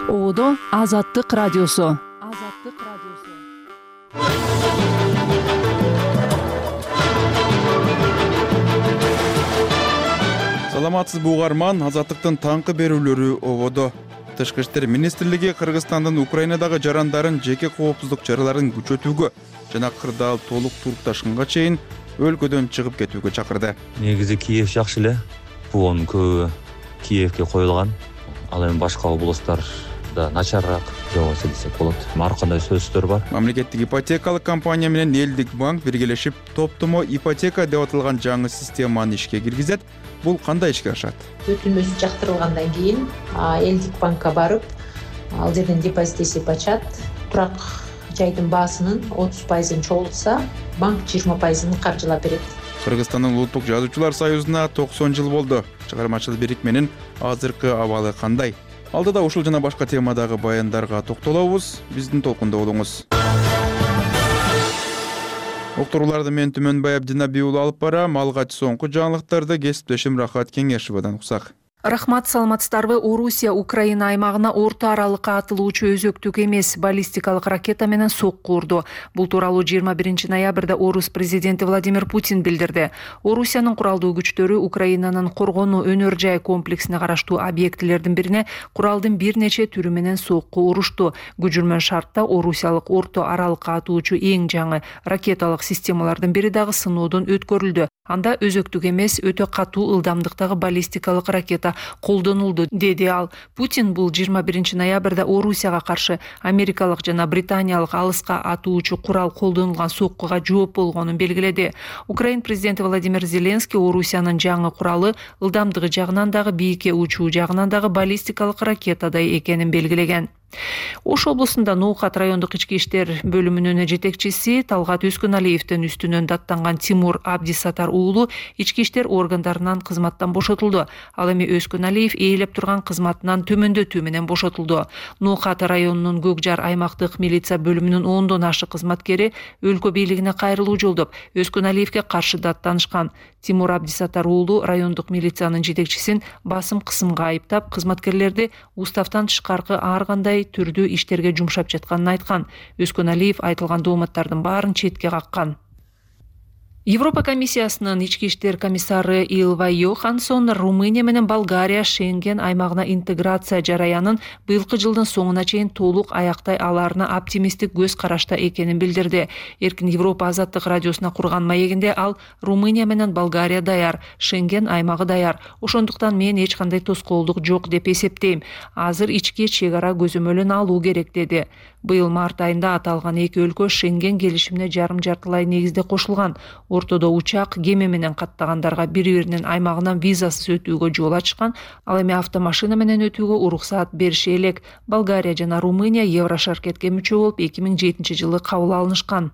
Ободо Азаттык радиосу. Саламатсызбы угарман, Азаттыктын таңкы берүүлөрү ободо. Тышкы иштер министрлиги Кыргызстандын Украинадагы жарандарын жеке коопсуздук чараларын күчөтүүгө жана кырдаал толук турукташканга чейин өлкөдөн чыгып кетүүгө чакырды. Негизи Киев жакшы эле. Буунун көбү Киевке коюлган. Ал эми башка областтарда начарыраак жабылса десек болот. Ар кандай сөздөр бар. Мамлекеттик ипотекалык компания менен Элдик банк биргелешип топтомо ипотека деп аталган жаңы системаны ишке киргизет. Бул кандай ишке ашат? Өтүнмөсү жактырылгандан кийин Элдик банкка барып, ал жерден депозит эсеп ачат. Турак жайдын баасынын 30% чогултса, банк 20% каржылап берет. Кыргызстандын Улуттук жазуучулар союзуна 90 жыл болду. Чыгармачыл бирикменин азыркы абалы кандай? Алдыда ушул жана башка темадагы баяндарга токтолобуз. Биздин толкунда болуңуз. Уктурууларды мен Түмөнбай Абдинабий уулу алып барам. Алгач соңку жаңылыктарды кесиптешим Рахат Кеңешевадан уксак. Рахмат, саламатсыздарбы? Орусия Украина аймагына орто аралыкка атылуучу өзөктүк эмес баллистикалык ракета менен сокку урду. Бул тууралуу 21 ноябрда Орус президенти Владимир Путин билдирди. Орусиянын куралдуу күчтөрү Украинанын коргонуу өнөр жай комплексине караштуу объектилердин бирине куралдын бир нече түрү менен сокку урушту. Күжүрмөн шартта орусиялык орто аралыкка атуучу эң жаңы ракеталык системалардын бири дагы сыноодон өткөрүлдү. Анда өзөктүк эмес өтө катуу ылдамдыктагы баллистикалык ракета колдонулду, деди ал. Путин бул 21 ноябрда Орусияга каршы америкалык жана британиялык алыска атуучу курал колдонулган соккуга жооп болгонун белгиледи. Украин президенти Владимир Зеленский Орусиянын жаңы куралы ылдамдыгы жагынан дагы бийикке учуу жагынан дагы баллистикалык ракетадай экенин белгилеген. Ош облусунда Ноокат райондук ички иштер бөлүмүнүн жетекчиси Талгат Өскөналиевдин үстүнөн даттанган Тимур Абдисатар уулу ички иштер органдарынан кызматтан бошотулду. Ал эми Өскөналиев ээлеп турган кызматынан төмөндөтүү менен бошотулду. Ноокат районунун Көкжар аймактык милиция бөлүмүнүн 10дон ашык кызматкери өлкө бийлигине кайрылуу жолдоп, Өскөналиевге каршы даттанышкан. Тимур Абдисатар уулу райондук милициянын жетекчисин басым кысымга айыптап, кызматкерлерди уставтан тышкаркы ар кандай түрдүү иштерге жумшап жатканын айткан. Өскөналиев айтылган дооматтардын баарын четке каккан. Европа комиссиясынын ички иштер комиссары Илва Йоханссон Румыния менен Болгария Шенген аймагына интеграция жараянын быйылкы жылдын соңуна чейин толук аяктай аларына оптимисттик көз карашта экенин билдирди. Эркин Европа азаттык радиосуна курган маегинде ал Румыния менен Болгария даяр, Шенген аймагы даяр. Ошондуктан мен эч кандай тоскоолдук жок деп эсептейм. Азыр ички чек ара көзөмөлүн алуу керек, деди. Быйыл март айында аталган эки өлкө Шенген келишимине жарым-жартылай негизде кошулган. Ортодо учак, кеме менен каттагандарга бири-биринин аймагынан визасыз өтүүгө жол ачкан, ал эми автомашина менен өтүүгө уруксаат бериши элек. Болгария жана Румыния Еврошаркетке мүчө болуп 2007 жылы кабыл алынышкан.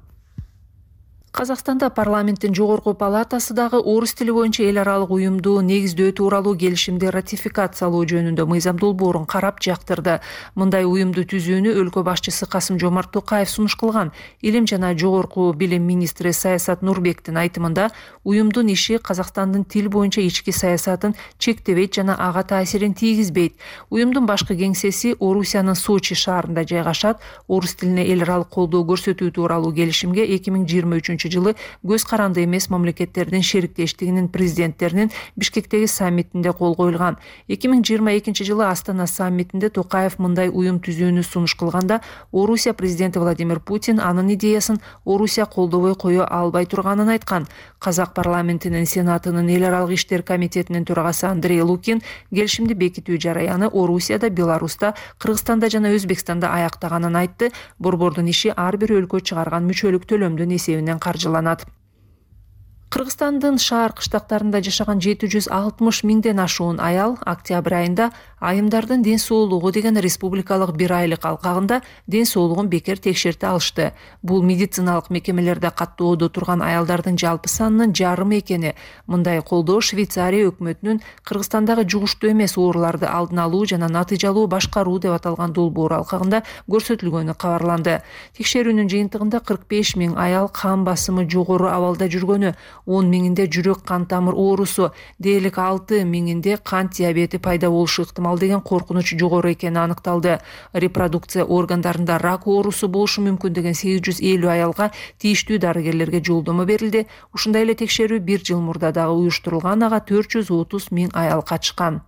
Казакстанда парламенттин жогорку палатасы дагы орус тили боюнча эл аралык уюмду негиздөө тууралуу келишимди ратификациялоо жөнүндө мыйзам долбоорун карап жактырды. Мындай уюмду түзүүнү өлкө башчысы Касым-Жомарт Токаев сунуш кылган. Илим жана жогорку билим министри Саясат Нурбектин айтымында, уюмдун иши Казакстандын тил боюнча ички саясатын чектебейт жана ага таасирин тийгизбейт. Уюмдун башкы кеңсеси Орусиянын Сочи шаарында жайгашат. Орус тилине эл аралык колдоо көрсөтүү тууралуу келишимге 2023 жылы көз каранды эмес мамлекеттердин шериктештигинин президенттеринин Бишкектеги саммитинде кол коюлган. 2022 жылы Астана саммитинде Токаев мындай уюм түзүүнү сунуш кылганда, Орусия президенти Владимир Путин анын идеясын Орусия колдобой кое албай турганын айткан. Казак парламентинин сенатынын эл аралык иштер комитетинин төрагасы Андрей Лукин келишимди бекитүү жараяны Орусияда, Беларуста, Кыргызстанда жана Өзбекстанда аяктаганын айтты. Борбордун иши ар бир өлкө чыгарган мүчөлүк төлөмдүн эсебинен каржыланат. Кыргызстандын шаар кыштактарында жашаган 760 миңден ашуун аял октябрь айында айымдардын ден соолугу деген республикалык бир айлык алкагында ден соолугун бекер текшерте алышты. Бул медициналык мекемелерде каттоодо турган аялдардын жалпы санынын жарымы экени. Мындай колдоо Швейцария өкмөтүнүн Кыргызстандагы жугуштуу эмес ооруларды алдын алуу жана натыйжалуу башкаруу деп аталган долбоор алкагында көрсөтүлгөнү кабарланды. Текшерүүнүн жыйынтыгында 45 миң аял кан басымы жогору абалда жүргөнү, 10 миңинде жүрөк кан тамыр оорусу, дээрлик 6 миңинде кант диабети пайда болушу ыктымал деген коркунуч жогору экени аныкталды. Репродукция органдарында рак оорусу болушу мүмкүн деген 850 аялга тийиштүү дарыгерлерге жолдомо берилди. Ушундай эле текшерүү 1 жыл мурда дагы уюштурулган, ага 430 миң аял катышкан.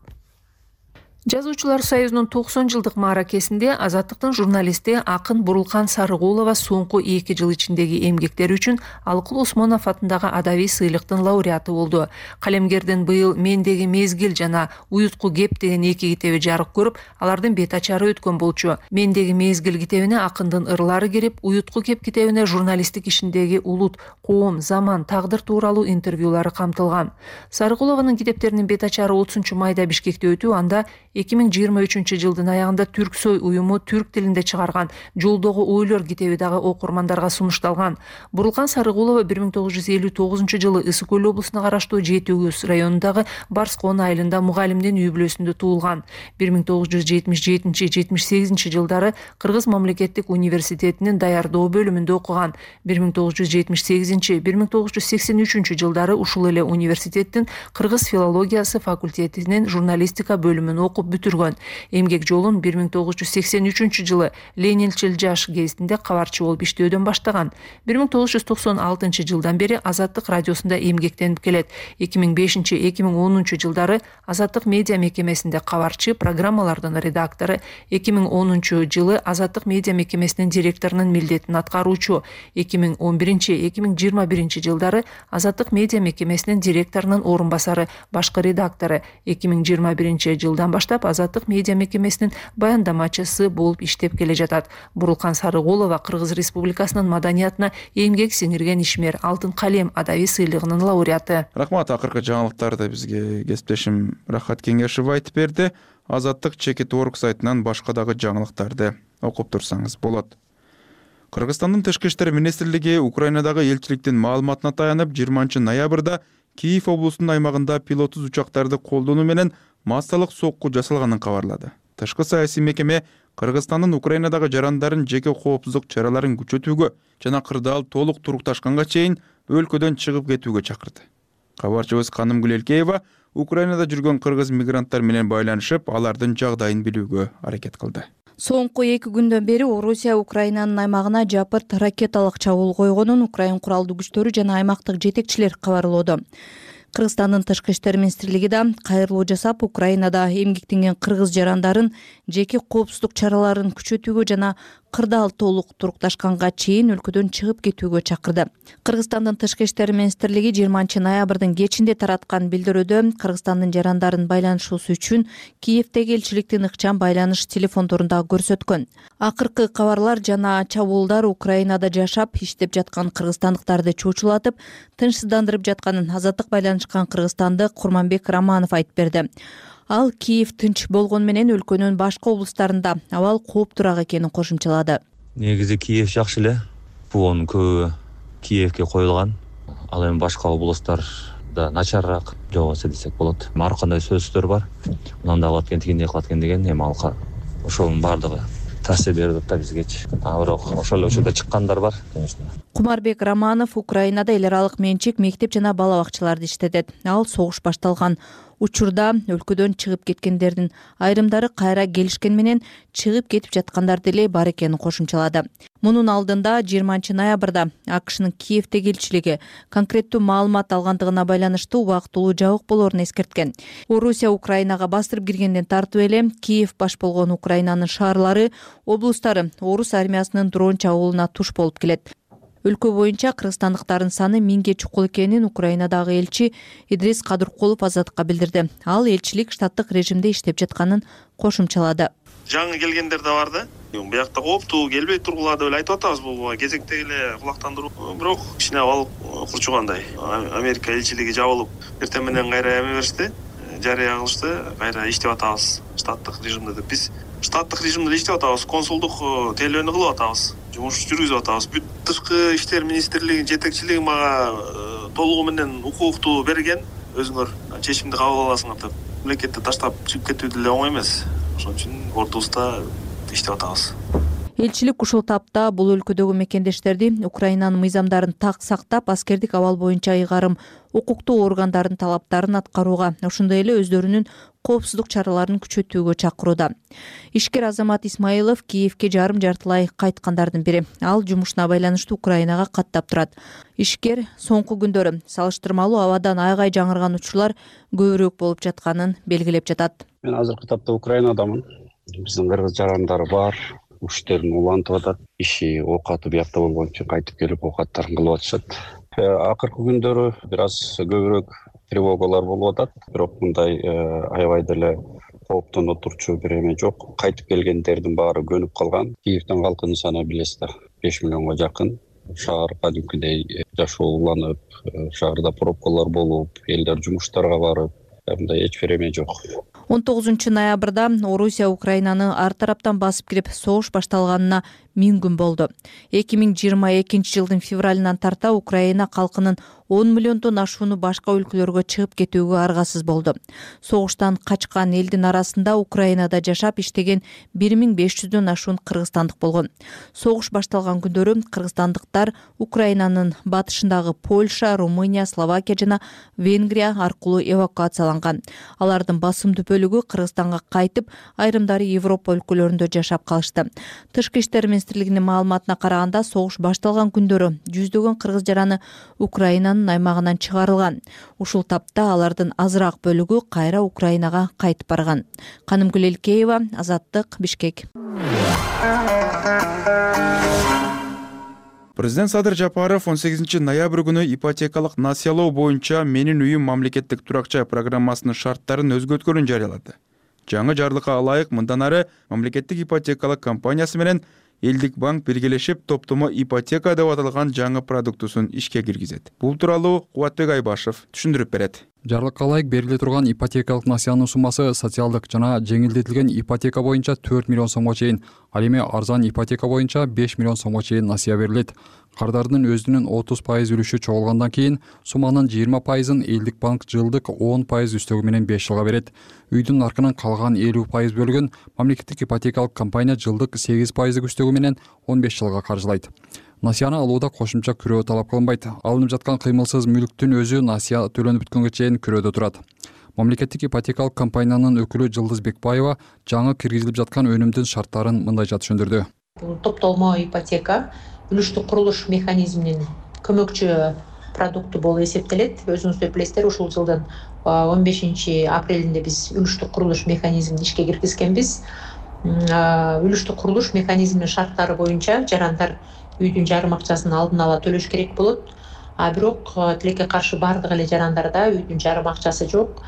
Жазуучулар союзунун 90 жылдык мааракесинде Азаттыктын журналисти акын Бурулкан Сарыгулова соңку 2 жыл ичиндеги эмгектери үчүн Алыкул Осмонов атындагы адабий сыйлыктын лауреаты болду. Калемгердин быйыл Мендеги мезгил жана Уютку кеп деген 2 китеби жарык көрүп, алардын бет ачары өткөн болчу. Мендеги мезгил китебине акындын ырлары кирип, Уютку кеп китебине журналисттик ишиндеги улут, коом, заман, тагдыр тууралуу интервьюлары камтылган. Сарыгулованын китептеринин бет ачары 30-майда Бишкекте өтүү, анда 2023 жылдын аягында Түрксой уюму түрк тилинде чыгарган Жолдогу ойлор китеби дагы окурмандарга сунушталган. Бурулкан Сарыгулова 1959 жылы Ысык Көл облусуна караштуу Жети Өгөз районундагы Барскон айылында мугалимдин үй бүлөсүндө туулган. 1977-78 жылдары Кыргыз мамлекеттик университетинин даярдоо бөлүмүндө окуган. 1970-1983 жылдары ушул эле университеттин Кыргыз филологиясы факультетинин журналистика бөлүмүн окуп бүтүргөн. Эмгек жолун 1983 жылы Ленинчил жаш гезитинде кабарчы болуп иштөөдөн баштаган. 1996 жылдан бери Азаттык радиосунда эмгектенип келет. 2005-2010 жылдары Азаттык медиа мекемесинде кабарчы, программалардын редактору, 2010 жылы Азаттык медиа мекемесинин директорунун милдетин аткаруучу, 2011-2021 жылдары Азаттык медиа мекемесинин директорунун орун басары, башкы редактору, 2021 жылдан баштап Азаттык медиа мекемесинин баяндамачысы болуп иштеп келе жатат. Бурулкан Сарыгулова Кыргыз Республикасынын маданиятына эмгек сиңирген ишмер, Алтын калем адабий сыйлыгынын лауреаты. Рахмат, акыркы жаңылыктарды бизге кесиптешим Рахат Кеңешев айтып берди. Азаттык Чекит.орг сайтынан башка дагы жаңылыктарды окуп турсаңыз болот. Кыргызстандын Тышкы иштер министрлиги Украинадагы элчиликтин маалыматына таянып 20 ноябрда Киев облусунун аймагында пилоттуз учактарды колдонуу менен массалык сокку жасалганын кабарлады. Тышкы саясий мекеме Кыргызстандын Украинадагы жарандарын жеке коопсуздук чараларын күчөтүүгө жана кырдаал толук турукташканга чейин өлкөдөн чыгып кетүүгө чакырды. Кабарчыбыз Канымгүл Элкеева Украинада жүргөн кыргыз мигранттар менен байланышып, алардын жагдайын билүүгө аракет кылды. Соңку 2 күндөн бери Орусия Украинанын аймагына жапырт ракеталык чабуул койгонун Украин куралдуу күчтөрү жана аймактык жетекчилер кабарлоодо. Кыргызстандын Тышкы иштер министрлиги да кайрылуу жасап, Украинада эмгектенген кыргыз жарандарын жеке коопсуздук чараларын күчөтүүгө жана кырдаал толук турукташканга чейин өлкөдөн чыгып кетүүгө чакырды. Кыргызстандын Тышкы иштер министрлиги 20 ноябрдын кечинде тараткан билдирүүдө Кыргызстандын жарандарын байланышуусу үчүн Киевдеги элчиликтин ыкчам байланыш телефондорунда көрсөткөн. Акыркы кабарлар жана чабуулдар Украинада жашап, иштеп жаткан кыргызстандыктарды чочулатып, тынчсыздандырып жатканын Азаттык байланышкан кыргызстандык Курманбек Романов айтып берди. Ал Киев тынч болгон менен өлкөнүн башка облустарында абал кооптураак экенин кошумчалады. Негизи Киев жакшы эле. Буунун көбү Киевке коюлган. Ал эми башка облустарда начарыраак жогобойса десек болот. Ар кандай сөздөр бар. Мындай кылат экен, тигиндей кылат экен деген, эми ал ошонун баардыгы таасир берип атат бизгечи. Бирок ошол эле учурда чыккандар бар, конечно. Кумарбек Романов Украинада эл аралык менчик мектеп жана бала бакчаларды иштетет. Ал согуш башталган учурда өлкөдөн чыгып кеткендердин айрымдары кайра келишкен менен чыгып кетип жаткандар деле бар экенин кошумчалады. Мунун алдында 20 ноябрда АКШнын Киевдеги элчилиги конкреттүү маалымат алгандыгына байланыштуу убактылуу жабык болоорун эскерткен. Орусия Украинага бастырып киргенден тартып эле Киев баш болгон Украинанын шаарлары, облустары орус армиясынын дрон чабуулуна туш болуп келет. Өлкө боюнча кыргызстандыктардын саны 1000ге чукул экенин Украинадагы элчи Идрис Кадыркулов Азаттыкка билдирди. Ал элчилик штаттык режимде иштеп жатканын кошумчалады. Жаңы келгендер да бар да. Буякта кооптуу келбей тургула деп айтып атабыз, бул кезектеги эле кулактандыруу. Бирок кичине абал курчугандай. Америка элчилиги жабылып, эртең менен кайра эме беришти, жарыя кылышты, кайра иштеп атабыз штаттык режимде деп. Биз штаттык режимде иштеп атабыз, консулдук тейлөөнү кылып атабыз, жумуш жүргүзүп атабыз. Бүт Тышкы иштер министрлигинин жетекчилиги мага толугу менен укукту берген, өзүңөр чечимди кабыл аласыңар деп. Мамлекетти таштап чыгып кетүү деле оңой эмес. Ошон үчүн ортобузда иштеп атабыз. Элчилик ушул тапта бул өлкөдөгү мекендештерди Украинанын мыйзамдарын так сактап, аскердик абал боюнча ыйгарым укуктуу органдардын талаптарын аткарууга, ошондой эле өздөрүнүн коопсуздук чараларын күчөтүүгө чакырууда. Ишкер Азамат Исмаилов Киевке жарым-жартылай кайткандардын бири. Ал жумушуна байланыштуу Украинага каттап турат. Ишкер соңку күндөрү салыштырмалуу абадан айгай жаңырган учурлар көбүрөөк болуп жатканын белгилеп жатат. Мен азыркы тапта Украинадамын. Биздин кыргыз жарандар бар. Уштерин улантып атат. Иши оокаты биякта болгон үчүн кайтып келип оокаттарын кылып атышат. Акыркы күндөрү бир аз көбүрөөк тревогалар болуп атат. Бирок мындай аябай деле кооптоно турчу бир эме жок. Кайтып келгендердин баары көнүп калган. Киевдин калкынын саны билесиздер 5 миллионго жакын. Шаар кадимкидей жашооланып, шаарда пробкалар болуп, элдер жумуштарга барып, мындай эч бир эме жок. 19 ноябрда Орусия Украинаны ар тараптан басып кирип, согуш башталганына 1000 күн болду. 2022 жылдын февралынан тарта Украина калкынын 10 миллиондон ашууну башка өлкөлөргө чыгып кетүүгө аргасыз болду. Согуштан качкан элдин арасында Украинада жашап иштеген 1500дөн ашуун кыргызстандык болгон. Согуш башталган күндөрү кыргызстандыктар Украинанын батышындагы Польша, Румыния, Словакия жана Венгрия аркылуу эвакуацияланган. Алардын басымдуу бөлүгү Кыргызстанга кайтып, айрымдары Европа өлкөлөрүндө жашап калышты. Тышкы иштер министрлигинин маалыматына караганда, согуш башталган күндөрү жүздөгөн кыргыз жараны Украинанын аймагынан чыгарылган. Ушул тапта алардын азыраак бөлүгү кайра Украинага кайтып барган. Канымгүл Элкеева, Азаттык, Бишкек. Президент Садыр Жапаров 18 ноябрь күнү ипотекалык насыялоо боюнча Менин үйүм мамлекеттик турак-жай программасынын шарттарын өзгөрткөнүн жарыялады. Жаңы жарлыкка ылайык мындан ары мамлекеттик ипотекалык компаниясы менен Элдик банк биргелешип топтомо ипотека деп аталган жаңы продуктусун ишке киргизет. Бул тууралуу Кубатбек Айбашев түшүндүрүп берет. Жарлыкка ылайык бериле турган ипотекалык насыянын суммасы социалдык жана жеңилдетилген ипотека боюнча 4 миллион сомго чейин, ал эми арзан ипотека боюнча 5 миллион сомго чейин насыя берилет. Кардардын өзүнүн 30% үлүшү чогулгандан кийин сумманын 20%ын Элдик банк жылдык 10% үстөгү менен 5 жылга берет. Үйдүн наркынын калган 50% бөлүгүн мамлекеттик ипотекалык компания жылдык 8% үстөгү менен 15 жылга каржылайт. Насыяны алууда кошумча күрөө талап кылынбайт. Алынып жаткан кыймылсыз мүлктүн өзү насыя төлөнүп бүткөнгө чейин күрөөдө турат. Мамлекеттик ипотекалык компаниянын өкүлү Жылдыз Бекбаева жаңы киргизилип жаткан өнүмдүн шарттарын мындайча түшүндүрдү. Бул топтолмо ипотека үлүштүк курулуш механизминин көмөкчү продукту болуп эсептелет. Өзүңүздөр билесиздер, ушул жылдын 15 апрелинде биз үлүштүк курулуш механизмин ишке киргизгенбиз. Үлүштүк курулуш механизминин шарттары боюнча жарандар үйдүн жарым акчасын алдын ала төлөш керек болот. Бирок тилекке каршы бардык эле жарандарда үйдүн жарым акчасы жок.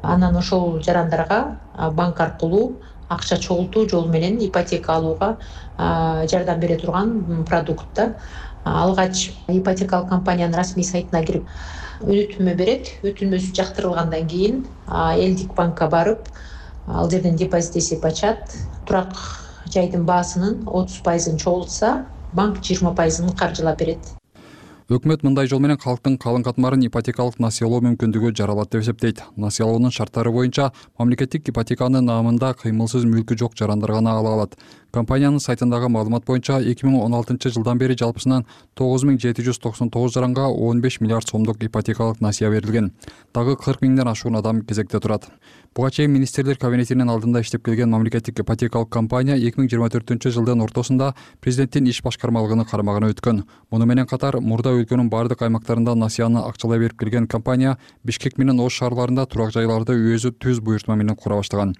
Анан ошол жарандарга банк аркылуу акча чогултуу жолу менен ипотека алууга жардам бере турган продукт. Алгач ипотекалык компаниянын расмий сайтына кирип өтүнмө берет. Өтүнмөсү жактырылгандан кийин Элдик банкка барып, ал жерден депозит эсеп ачат. Турак жайдын баасынын 30%ын чогултса, банк 20%ын каржылап берет. Өкмөт мындай жол менен калктын калың катмарын ипотекалык насыялоо мүмкүндүгү жаралат деп эсептейт. Насыялоонун шарттары боюнча мамлекеттик ипотеканын наамында кыймылсыз мүлкү жок жарандар гана ала алат. Компаниянын сайтындагы маалымат боюнча 2016 жылдан бери жалпысынан 9799 жаранга 15 миллиард сомдук ипотекалык насыя берилген. Дагы 40 миңден ашуун адам кезекте турат. Буга чейин министрлер кабинетинин алдында иштеп келген мамлекеттик ипотекалык компания 2024 жылдын ортосунда президенттин иш башкармалыгынын карамагына өткөн. Муну менен катар мурда өлкөнүн бардык аймактарында насыяны акчалай берип келген компания Бишкек менен Ош шаарларында турак жайларды өзү түз буйртма менен кура баштаган.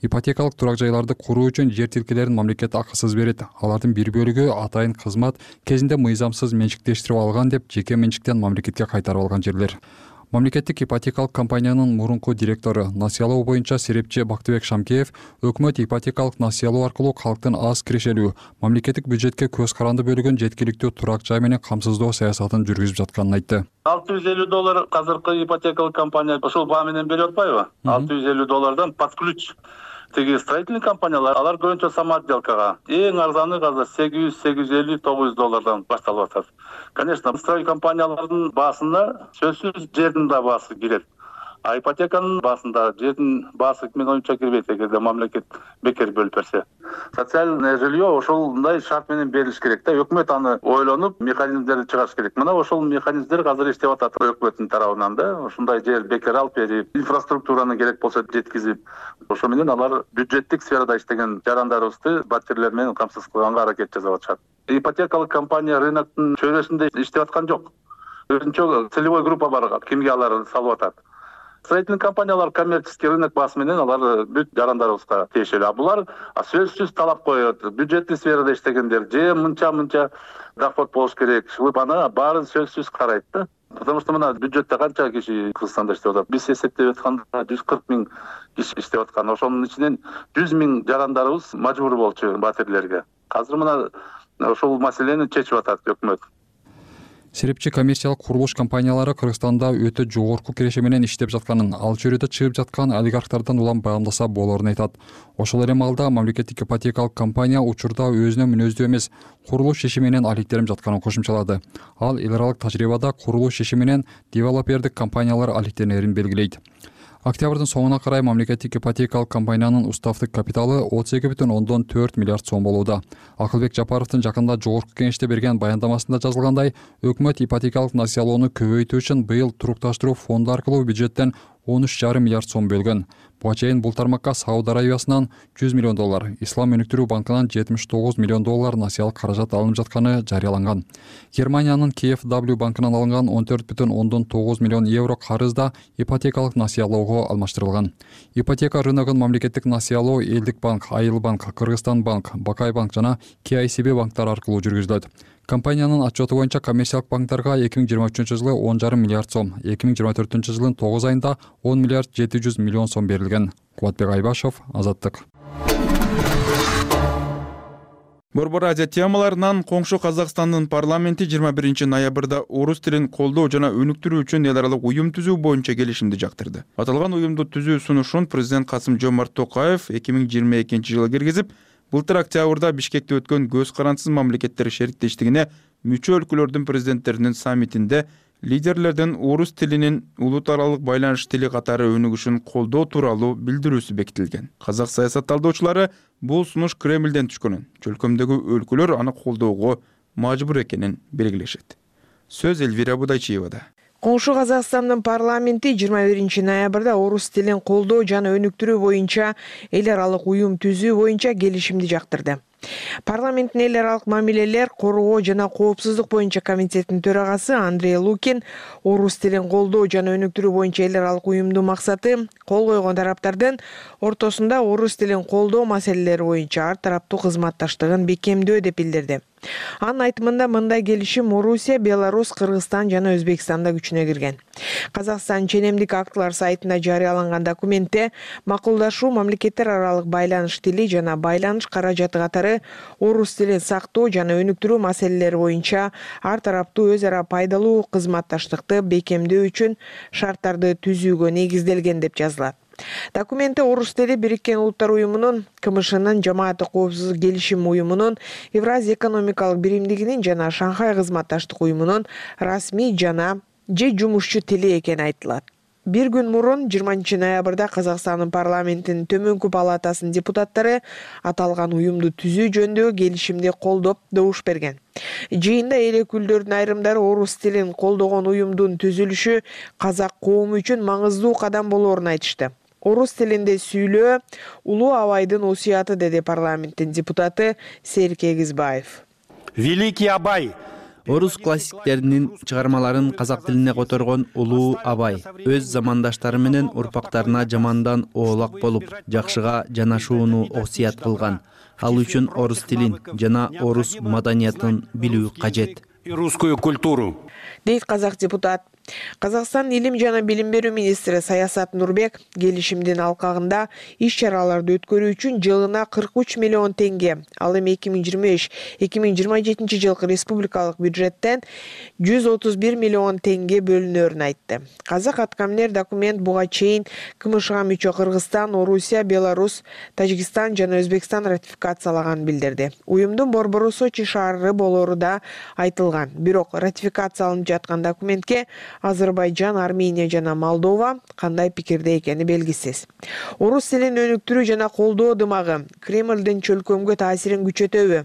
Ипотекалык турак жайларды куруу үчүн жер тилкелерин мамлекет акысыз берет. Алардын бир бөлүгү атайын кызмат кезинде мыйзамсыз менчиктештирип алган деп жеке менчиктен мамлекетке кайтарып алган жерлер. Мамлекеттик ипотекалык компаниянын мурунку директору, насыялоо боюнча серепчи Бактыбек Шамкеев өкмөт ипотекалык насыялоо аркылуу калктын аз кирешелүү, мамлекеттик бюджетке көз каранды бөлүгүн жеткиликтүү турак жай менен камсыздоо саясатын жүргүзүп жатканын айтты. $650 казыркы ипотекалык компания ошол баа менен берип атпайбы? $650 под ключ. Тиги строительный компаниялар, алар көбүнчө самоотделкага. Эң арзаны азыр $800-850 башталып атат. Конечно, строй компаниялардын баасына сөзсүз жердин да баасы кирет. А ипотеканын баасында жердин баасы менин оюмча кирбейт эгерде мамлекет бекер бөлүп берсе. Социальное жилье ошолундай шарт менен берилиш керек да. Өкмөт аны ойлонуп механизмдерди чыгарыш керек. Мына ошол механизмдер азыр иштеп атат өкмөттүн тарабынан да. Ушундай жер бекер алып берип, инфраструктураны керек болсо жеткизип, ошо менен алар бюджеттик сферада иштеген жарандарыбызды батирлер менен камсыз кылганга аракет жасап атышат. Ипотекалык компания рыноктун чөйрөсүндө иштеп аткан жок. Өзүнчө целевой группа бар, кимге алар салып атат. Строительный компаниялар коммерческий рынок баасы менен алар бүт жарандарыбызга тиешелүү. А булар сөзсүз талап коет. Бюджеттик сферада иштегендер же мынча доход болуш керек. Чыгып аны баарын сөзсүз карайт да. Потому что мына бюджетте канча киши Кыргызстанда иштеп атат? Биз эсептеп атканда 140 000 киши иштеп аткан. Ошонун ичинен 100 000 жарандарыбыз мажбур болчу батирлерге. Азыр мына ошол маселени чечип атат өкмөт. Серепчи коммерциялык курулуш компаниялары Кыргызстанда өтө жогорку киреше менен иштеп жатканын, ал чөйрөдө чыгып жаткан олигархтардан улам баамдаса болоорун айтат. Ошол эле маалда мамлекеттик ипотекалык компания учурда өзүнө мүнөздүү эмес курулуш иши менен алектенип жатканын кошумчалады. Ал эл аралык тажрыйбада курулуш иши менен девелопердик компаниялар алектенерин белгилейт. Октябрдын соңуна карай мамлекеттик ипотекалык компаниянын уставдык капиталы 32,4 миллиард сом болууда. Акылбек Жапаровдун жакында жогорку кеңеште берген баяндамасында жазылгандай, өкмөт ипотекалык насыялоону көбөйтүү үчүн быйыл турукташтыруу фонду аркылуу бюджеттен 13,5 миллиард сом бөлгөн. Буга чейин бул тармакка Сауд Арабиясынан $100 миллион, Ислам өнүктүрүү банкынан $79 миллион насыялык каражат алынып жатканы жарыяланган. Германиянын KfW банкынан алынган 14,9 миллион евро карыз да ипотекалык насыялоого алмаштырылган. Ипотека рыногун мамлекеттик насыялоо Элдик банк, Айыл банк, Кыргызстан банк, Бакай банк жана KICB банктары аркылуу жүргүзүлөт. Компаниянын отчету боюнча коммерциялык банктарга 2023 жылы 10,5 миллиард сом, 2024 жылдын 9 айында 10 миллиард 700 миллион сом берилген. Кубатбек Айбашев, Азаттык. Борбор Азия темаларынан коңшу Казакстандын парламенти 21 ноябрда орус тилин колдоо жана өнүктүрүү үчүн эл аралык уюм түзүү боюнча келишимди жактырды. Аталган уюмду түзүү сунушун президент Касым-Жомарт Токаев 2022 жылы киргизип, былтыр октябрда Бишкекте өткөн көз карансыз мамлекеттер шериктештигине мүчө өлкөлөрдүн президенттеринин саммитинде лидерлердин орус тилинин улут аралык байланыш тили катары өнүгүшүн колдоо тууралуу билдирүүсү бекитилген. Казак саясат талдоочулары бул сунуш Кремлден түшкөнүн, чөлкөмдөгү өлкөлөр аны колдоого мажбур экенин белгилешет. Сөз Эльвира Будайчиевада. Коңшу Казакстандын парламенти 21 ноябрда орус тилин колдоо жана өнүктүрүү боюнча эл аралык уюм түзүү боюнча келишимди жактырды. Парламенттин эл аралык мамилелер, коргоо жана коопсуздук боюнча комитетинин төрагасы Андрей Лукин орус тилин колдоо жана өнүктүрүү боюнча эл аралык уюмдун максаты кол койгон тараптардын ортосунда орус тилин колдоо маселелери боюнча ар тараптуу кызматташтыгын бекемдөө деп билдирди. Анын айтымында мындай келишим Орусия, Беларусь, Кыргызстан жана Өзбекстанда күчүнө кирген. Казакстан ченемдик актылар сайтында жарыяланган документте макулдашуу мамлекеттер аралык байланыш тили жана байланыш каражаты катары орус тилин сактоо жана өнүктүрүү маселелери боюнча ар тараптуу өз ара пайдалуу кызматташтыкты бекемдөө үчүн шарттарды түзүүгө негизделген деп жазылат. Документте орус тили Бириккен Улуттар уюмунун, КМШнын, Жамааттык коопсуздук келишим уюмунун, Евразия экономикалык биримдигинин жана Шанхай кызматташтык уюмунун расмий жана жумушчу тили экени айтылат. Бир күн мурун 20 ноябрда Казакстандын парламентинин төмөнкү палатасынын депутаттары аталган уюмду түзүү жөнүндөгү келишимди колдоп добуш берген. Жыйында эл өкүлдөрүнүн айрымдары орус тилин колдогон уюмдун түзүлүшү казак коому үчүн маңыздуу кадам болоорун айтышты. Орус тилинде сүйлөө улуу абайдын осуяты, деди парламенттин депутаты Серик Эгизбаев. Великий Абай орус классиктеринин чыгармаларын казак тилине которгон улуу абай өз замандаштары менен урпактарына жамандан оолак болуп, жакшыга жанашууну осуят кылган. Ал үчүн орус тилин жана орус маданиятын билүү кажет. И русскую культуру, дейт казак депутат. Казакстан илим жана билим берүү министри Саясат Нурбек келишимдин алкагында иш-чараларды өткөрүү үчүн жылына 43 миллион теңге, ал эми 2025-2027 жылкы республикалык бюджеттен 131 миллион теңге бөлүнөрүн айтты. Казак аткаминер документ буга чейин КМШга мүчө Кыргызстан, Орусия, Беларусь, Тажикстан жана Өзбекстан ратификациялаганын билдирди. Уюмдун борбору Сочи шаары болоору да айтылган. Бирок ратификацияланып жаткан документке Азербайжан, Армения жана Молдова кандай пикирде экени белгисиз. Орус тилин өнүктүрүү жана колдоо дымагы Кремлдин чөлкөмгө таасирин күчөтөбү?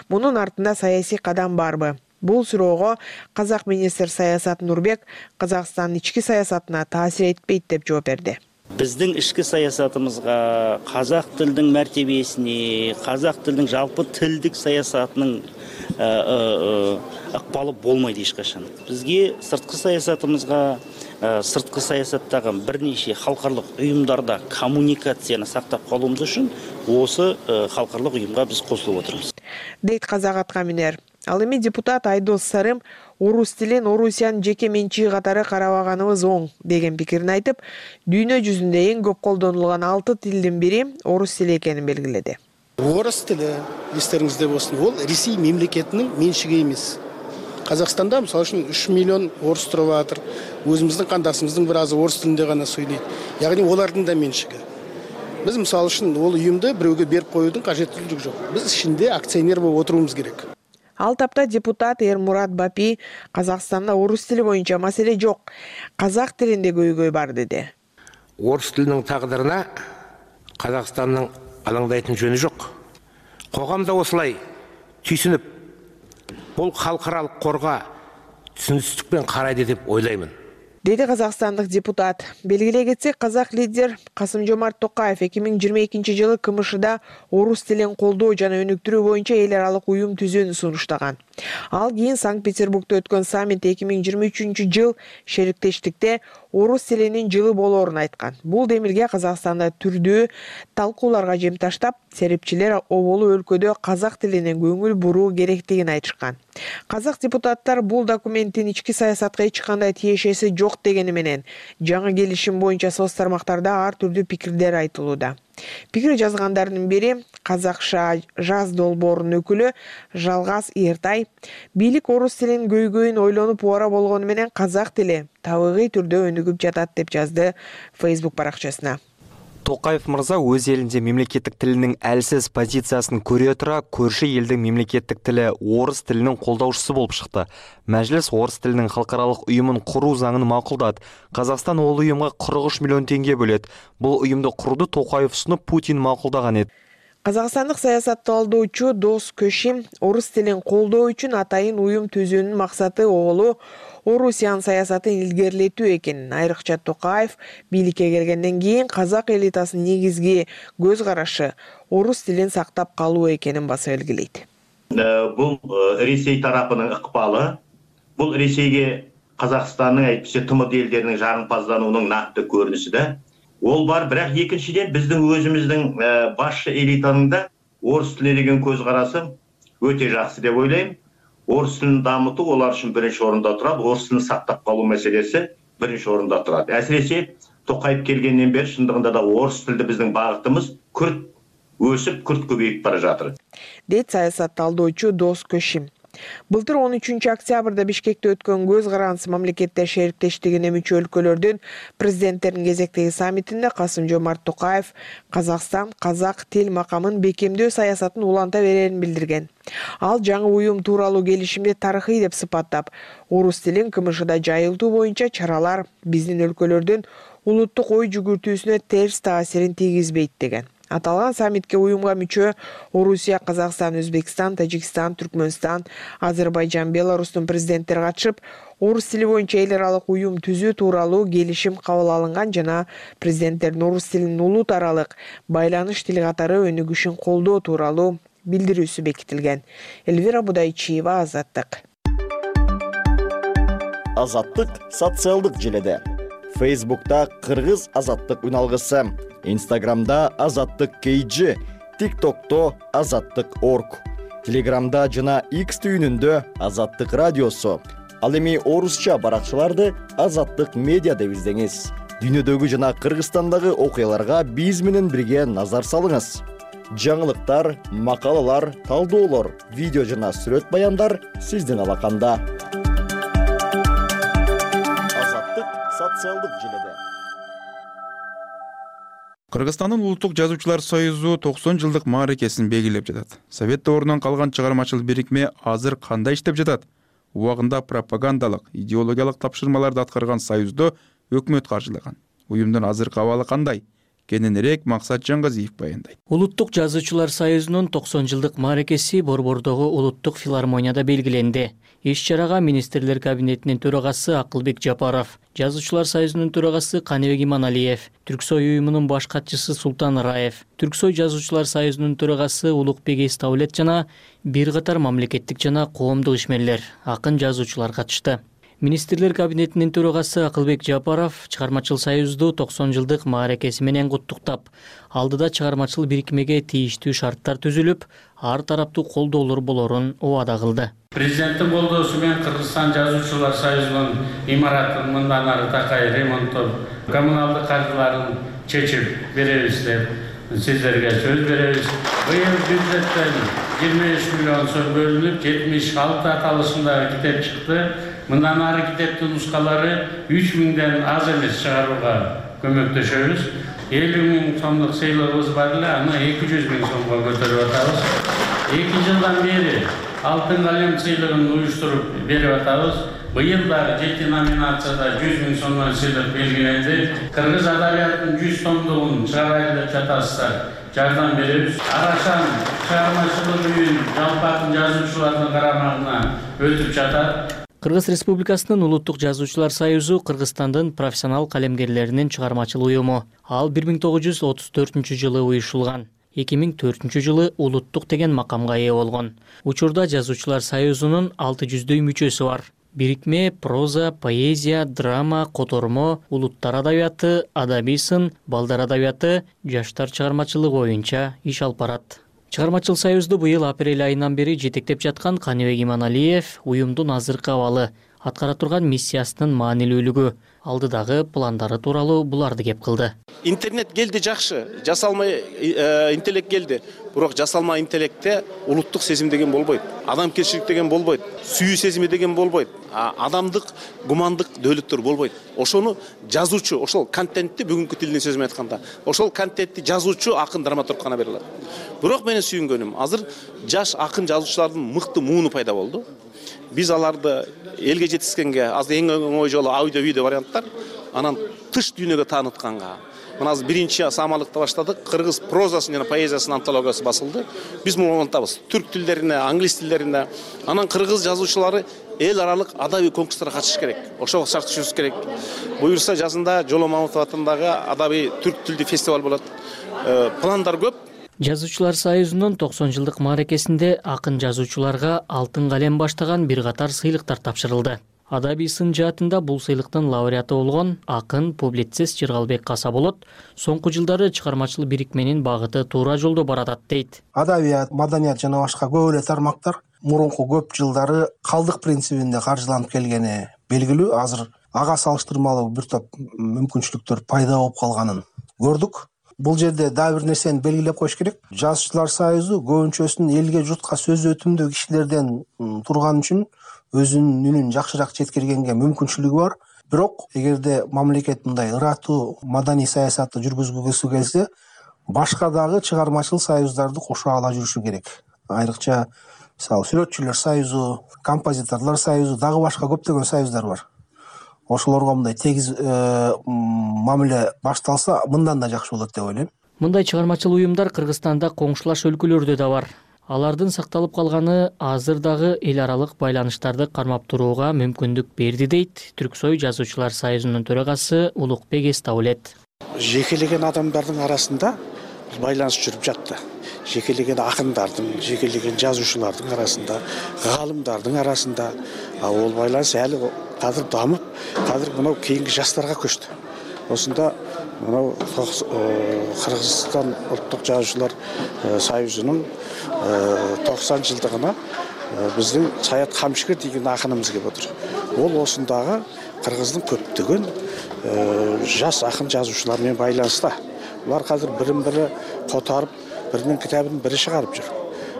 Мунун артында саясий кадам барбы? Бул суроого казак министр Саясат Нурбек Казакстандын ички саясатына таасир этпейт деп жооп берди. Биздин ички саясатыбызга, казак тилдин мартебесине, казак тилдин жалпы тилдик саясатынын акпалы болмойт эч качан. Бизге сырткы саясатыбызга, сырткы саясаттагы бир нече халкарлык уюмдарда коммуникацияны сактап калуубуз үчүн осы халкарлык уюмга биз кошулуп отурбуз. Дейт казак аткаминер. Ал эми депутат Айдос Сарым орус тилин Орусиянын жеке менчиги катары карабаганыбыз оң деген пикирин айтып, дүйнө жүзүндө эң көп колдонулган 6 тилдин бири орус тили экенин белгиледи. Орус тили, эстериңизде болсун, ол Ресей мемлекетинин менчиги эмес. Казакстанда мисалы үчүн 3 миллион орус туруп атыр. Өзүбүздүн кандашыбыздын бир азы орус тилинде гана сүйлөйт. Ягни олардын да менчиги. Биз мисалы үчүн ол уюмду бирөөгө берип коюудун кажеттүүлүгү жок. Биз ичинде акционер болуп отуруубуз керек. Ал тапта депутат Эрмурат Бапи Казакстанда орус тили боюнча маселе жок, казак тилинде көйгөй бар деди. Орус тилинин тагдырына Казакстандын алаңдайтын жөнү жок. Коомдо осулай түйсүнүп, бул халкыралык корго түсүнүксүздүкпен карайды деп ойлоймун. Деди казакстандык депутат. Белгилей кетсек, казак лидер Касым-Жомарт Токаев 2022 жылы КМШда орус тилин колдоо жана өнүктүрүү боюнча эл аралык уюм түзүүнү сунуштаган. Ал кийин Санкт-Петербургда өткөн саммит 2023 жыл шериктештикте орус тилинин жылы болоорун айткан. Бул демилге Казакстанда түрдүү талкууларга жем таштап, серепчилер оболу өлкөдө казак тилине көңүл буруу керектигин айтышкан. Казак депутаттар бул документтин ички саясатка эч кандай тиешеси жок дегени менен, жаңы келишим боюнча соц тармактарда ар түрдүү пикирлер айтылууда. Пикир жазгандардын бири Казакша жаз долбоорунун өкүлү Жалгаз Эртай. Бийлик орус тилинин көйгөйүн ойлонуп ора болгону менен казак тили табигый түрдө өнүгүп жатат деп жазды Facebook баракчасына. Токаев мырза өз элинде мемлекеттик тилинин әлсиз позициясын көрө тура, көрші элдин мемлекеттик тили орус тилинин колдоочусу болуп чыкты. Мәжлис орус тилинин халкаралык уюмун куруу заңын макулдады. Казакстан ол уюмга 43 миллион теңге бөлөт. Бул уюмду курууду Токаев сунуп, Путин макулдаган эди. Казакстандык саясатталдоочу Дос Көшим орус тилин колдоо үчүн атайын уюм түзүүнүн максаты оолу Орусиян саясатын илгерилетүү экенин, айрыкча Токаев бийликке келгенден кийин казак элитасынын негизги көз карашы орус тилин сактап калуу экенин баса белгилейт. Бул Ресей тарапынын ыкпалы, бул Ресейге Казакстандын айтпайча ТМД элдеринин жагымпаздануунун накты көрүнүшү да. Ол бар, бирок экинчиден биздин өзүбүздүн башчы элитанын да орус тилине деген көз карасы өтө жакшы деп ойлойм. Орус тилин дамытуу олар үчүн биринчи орунда турат, орус тилин сактап калуу маселеси биринчи орунда турат. Әсиресе Токаев келгенден бери шындыгында да орус тилде биздин багытыбыз күрт өсүп, күрт көбөйүп бара жатыр. Дейт саясатталдоочу Дос Көшим. Былтыр 13 октябрда Бишкекте өткөн көз карандысы мамлекеттер шериктештигине мүчө өлкөлөрдүн президенттеринин кезектеги саммитинде Касым-Жомарт Токаев Казакстан казак тил макамын бекемдөө саясатын уланта берерин билдирген. Ал жаңы уюм тууралуу келишимди тарыхый деп сыпаттап, орус тилин КМШда жайылтуу боюнча чаралар биздин өлкөлөрдүн улуттук ой жүгүртүүсүнө терс таасирин тийгизбейт деген. Аталган саммитке уюмга мүчө Орусия, Казакстан, Өзбекстан, Тажикстан, Түркмөнстан, Азербайжан, Беларустун президенттери катышып, орус тили боюнча эл аралык уюм түзүү тууралуу келишим кабыл алынган жана президенттердин орус тилинин улут аралык байланыш тили катары өнүгүшүн колдоо тууралуу билдирүүсү бекитилген. Элвира Будайчиева, Азаттык. Азаттык социалдык желеде. Facebook'ta Кыргыз Азаттык үналгысы, Instagram'da Азаттык KG, TikTok'ta Азаттык.org, Telegram'da жана X түйүнүндө Азаттык радиосу. Ал эми орусча баракчаларды Азаттык медиа деп издеңиз. Дүйнөдөгү жана Кыргызстандагы окуяларга биз менен бирге назар салыңыз. Жаңылыктар, макалалар, талдоолор, видео жана сүрөт баяндар сиздин алаканда. Социалдык желеде. Кыргызстандын Улуттук жазуучулар союзу 90 жылдык мааракесин белгилеп жатат. Совет дорунан калган чыгармачыл бирикме азыр кандай иштеп жатат? убагында пропагандалык, идеологиялык тапшырмаларды аткарган союзду өкмөт каржылаган. Уюмдун азыркы абалы кандай? Кененирээк Максат Жаңгазиев баяндайт. Улуттук жазуучулар союзунун 90 жылдык мааракеси Борбордогу улуттук филармонияда белгиленди. Иш-чарага министрлер кабинетинин төрагасы Акылбек Жапаров, жазуучулар союзунун төрагасы Каныбек Иманалиев, Түрксой уюмунун баш катчысы Султан Раев, Түрксой жазуучулар союзунун төрагасы Улукбек Эстаулет жана бир катар мамлекеттик жана коомдук ишмерлер, акын жазуучулар катышты. Министрлер кабинетинин төрагасы Акылбек Жапаров чыгармачыл союзду 90 жылдык мааракеси менен куттуктап, алдыда чыгармачыл бирикмеге тийиштүү шарттар түзүлүп, ар тараптуу колдоолор болорун убада кылды. Президенттин колдоосу менен Кыргызстан жазуучулар союзунун имаратын мындан ары такай ремонттоп, коммуналдык каржыларын чечип беребиз деп сиздерге сөз беребиз. Быйыл бюджеттен 25 миллион сом бөлүнүп, 76 аталышындагы китеп чыкты. Мындан ары китептин нускалары 3000ден аз эмес чыгарууга көмөктөшөбүз. 50 000 сомдук сыйлыгыбыз бар эле, аны 200 000 сомго көтөрүп атабыз. 2 жылдан бери алтын калем сыйлыгын уюштуруп берип атабыз. Быйыл дагы 7 номинацияда 100 000 сомдон сыйлык белгиленди. Кыргыз адабиятынын 100 томдугун чыгарайлы деп жатасыздар. Жардам беребиз. Арашан чыгармачылык үйүн жалпы акын жазуучулардын карамагына өтүп жатат. Кыргыз Республикасынын Улуттук жазуучулар союзу Кыргызстандын профессионал калемгерлеринин чыгармачыл уюму. Ал 1934-жылы уюшулган. 2004-жылы улуттук деген макамга ээ болгон. Учурда жазуучулар союзунун 600дөй мүчөсү бар. Бирикме проза, поэзия, драма, котормо, улуттар адабияты, адабий сын, балдар адабияты, жаштар чыгармачылыгы боюнча иш алып барат. Чыгармачыл союзду быйыл апрель айынан бери жетектеп жаткан Каныбек Иманалиев уюмдун азыркы абалы, аткара турган миссиясынын маанилүүлүгү, алдыдагы пландары тууралуу буларды кеп кылды. Интернет келди жакшы, жасалмай интеллект келди. Бирок жасалма интеллектте улуттук сезим деген болбойт. Адамгерчилик деген болбойт. Сүйүү сезими деген болбойт. Адамдык, гумандык дөөлөттөр болбойт. Ошону жазуучу, ошол контентти бүгүнкү тилдин сөзү менен айтканда, ошол контентти жазуучу акын драматург гана бере алат. Бирок менин сүйүнгөнүм, азыр жаш акын жазуучулардын мыкты мууну пайда болду. Биз аларды элге жеткизгенге азыр эң оңой жолу аудио видео варианттар, анан тыш дүйнөгө таанытканга. Мына азыр биринчи самалыкты баштадык. Кыргыз прозасын жана поэзиясынын антологиясы басылды. Биз муну улантабыз. Түрк тилдерине, англис тилдерине. Анан кыргыз жазуучулары эл аралык адабий конкурстарга катышыш керек. Ошого шарт түзүш керек. Буюрса жазында Жоло Мамутов атындагы адабий түрк тилдүү фестиваль болот. Пландар көп. Жазуучулар союзунун 90 жылдык мааракесинде акын жазуучуларга алтын калем баштаган бир катар сыйлыктар тапшырылды. Адабий сын жаатында бул сыйлыктын лауреаты болгон акын публицист Жыргалбек Касаболот соңку жылдары чыгармачыл бирикменин багыты туура жолдо баратат дейт. Адабият, маданият жана башка көп эле тармактар мурунку көп жылдары калдык принцибинде каржыланып келгени белгилүү. Азыр ага салыштырмалуу бир топ мүмкүнчүлүктөр пайда болуп калганын көрдүк. Бул жерде дагы бир нерсени белгилеп коюш керек. Жазуучулар союзу көбүнчөсүн элге, журтка сөз өтүмдүү кишилерден турган үчүн өзүнүн үнүн жакшыраак жеткиргенге мүмкүнчүлүгү бар. Бирок эгерде мамлекет мындай ыраттуу маданий саясатты жүргүзгүсү келсе, башка дагы чыгармачыл союздарды кошо ала жүрүшү керек. Айрыкча мисалы сүрөтчүлөр союзу, композиторлор союзу, дагы башка көптөгөн союздар бар. Ошолорго мындай тегиз мамиле башталса, мындан да жакшы болот деп ойлойм. Мындай чыгармачыл уюмдар Кыргызстанда коңшулаш өлкөлөрдө да бар. Алардын сакталып калганы азыр дагы эл аралык байланыштарды кармап турууга мүмкүндүк берди дейт Түрксой жазуучулар союзунун төрагасы Улукбек Эстаулет. Жекелеген адамдардын арасында байланыш жүрүп жатты. Жекелеген акындардын, жекелеген жазуучулардын арасында, гаалымдардын арасында ал байланыш әлі кадыр дамып, кадыр мынау кейинги жаштарга көчтү. Осында мынау Кыргызстан улуттук жазуучулар союзунун 90 жылдыгына биздин Саят Камшикер деген акыныбыз келип отур. Ол осундагы Кыргыздын көптөгөн жас акын жазуучулар менен байланыста. Булар казыр бирин-бири котарып, биринин китабын бири чыгарып жүр.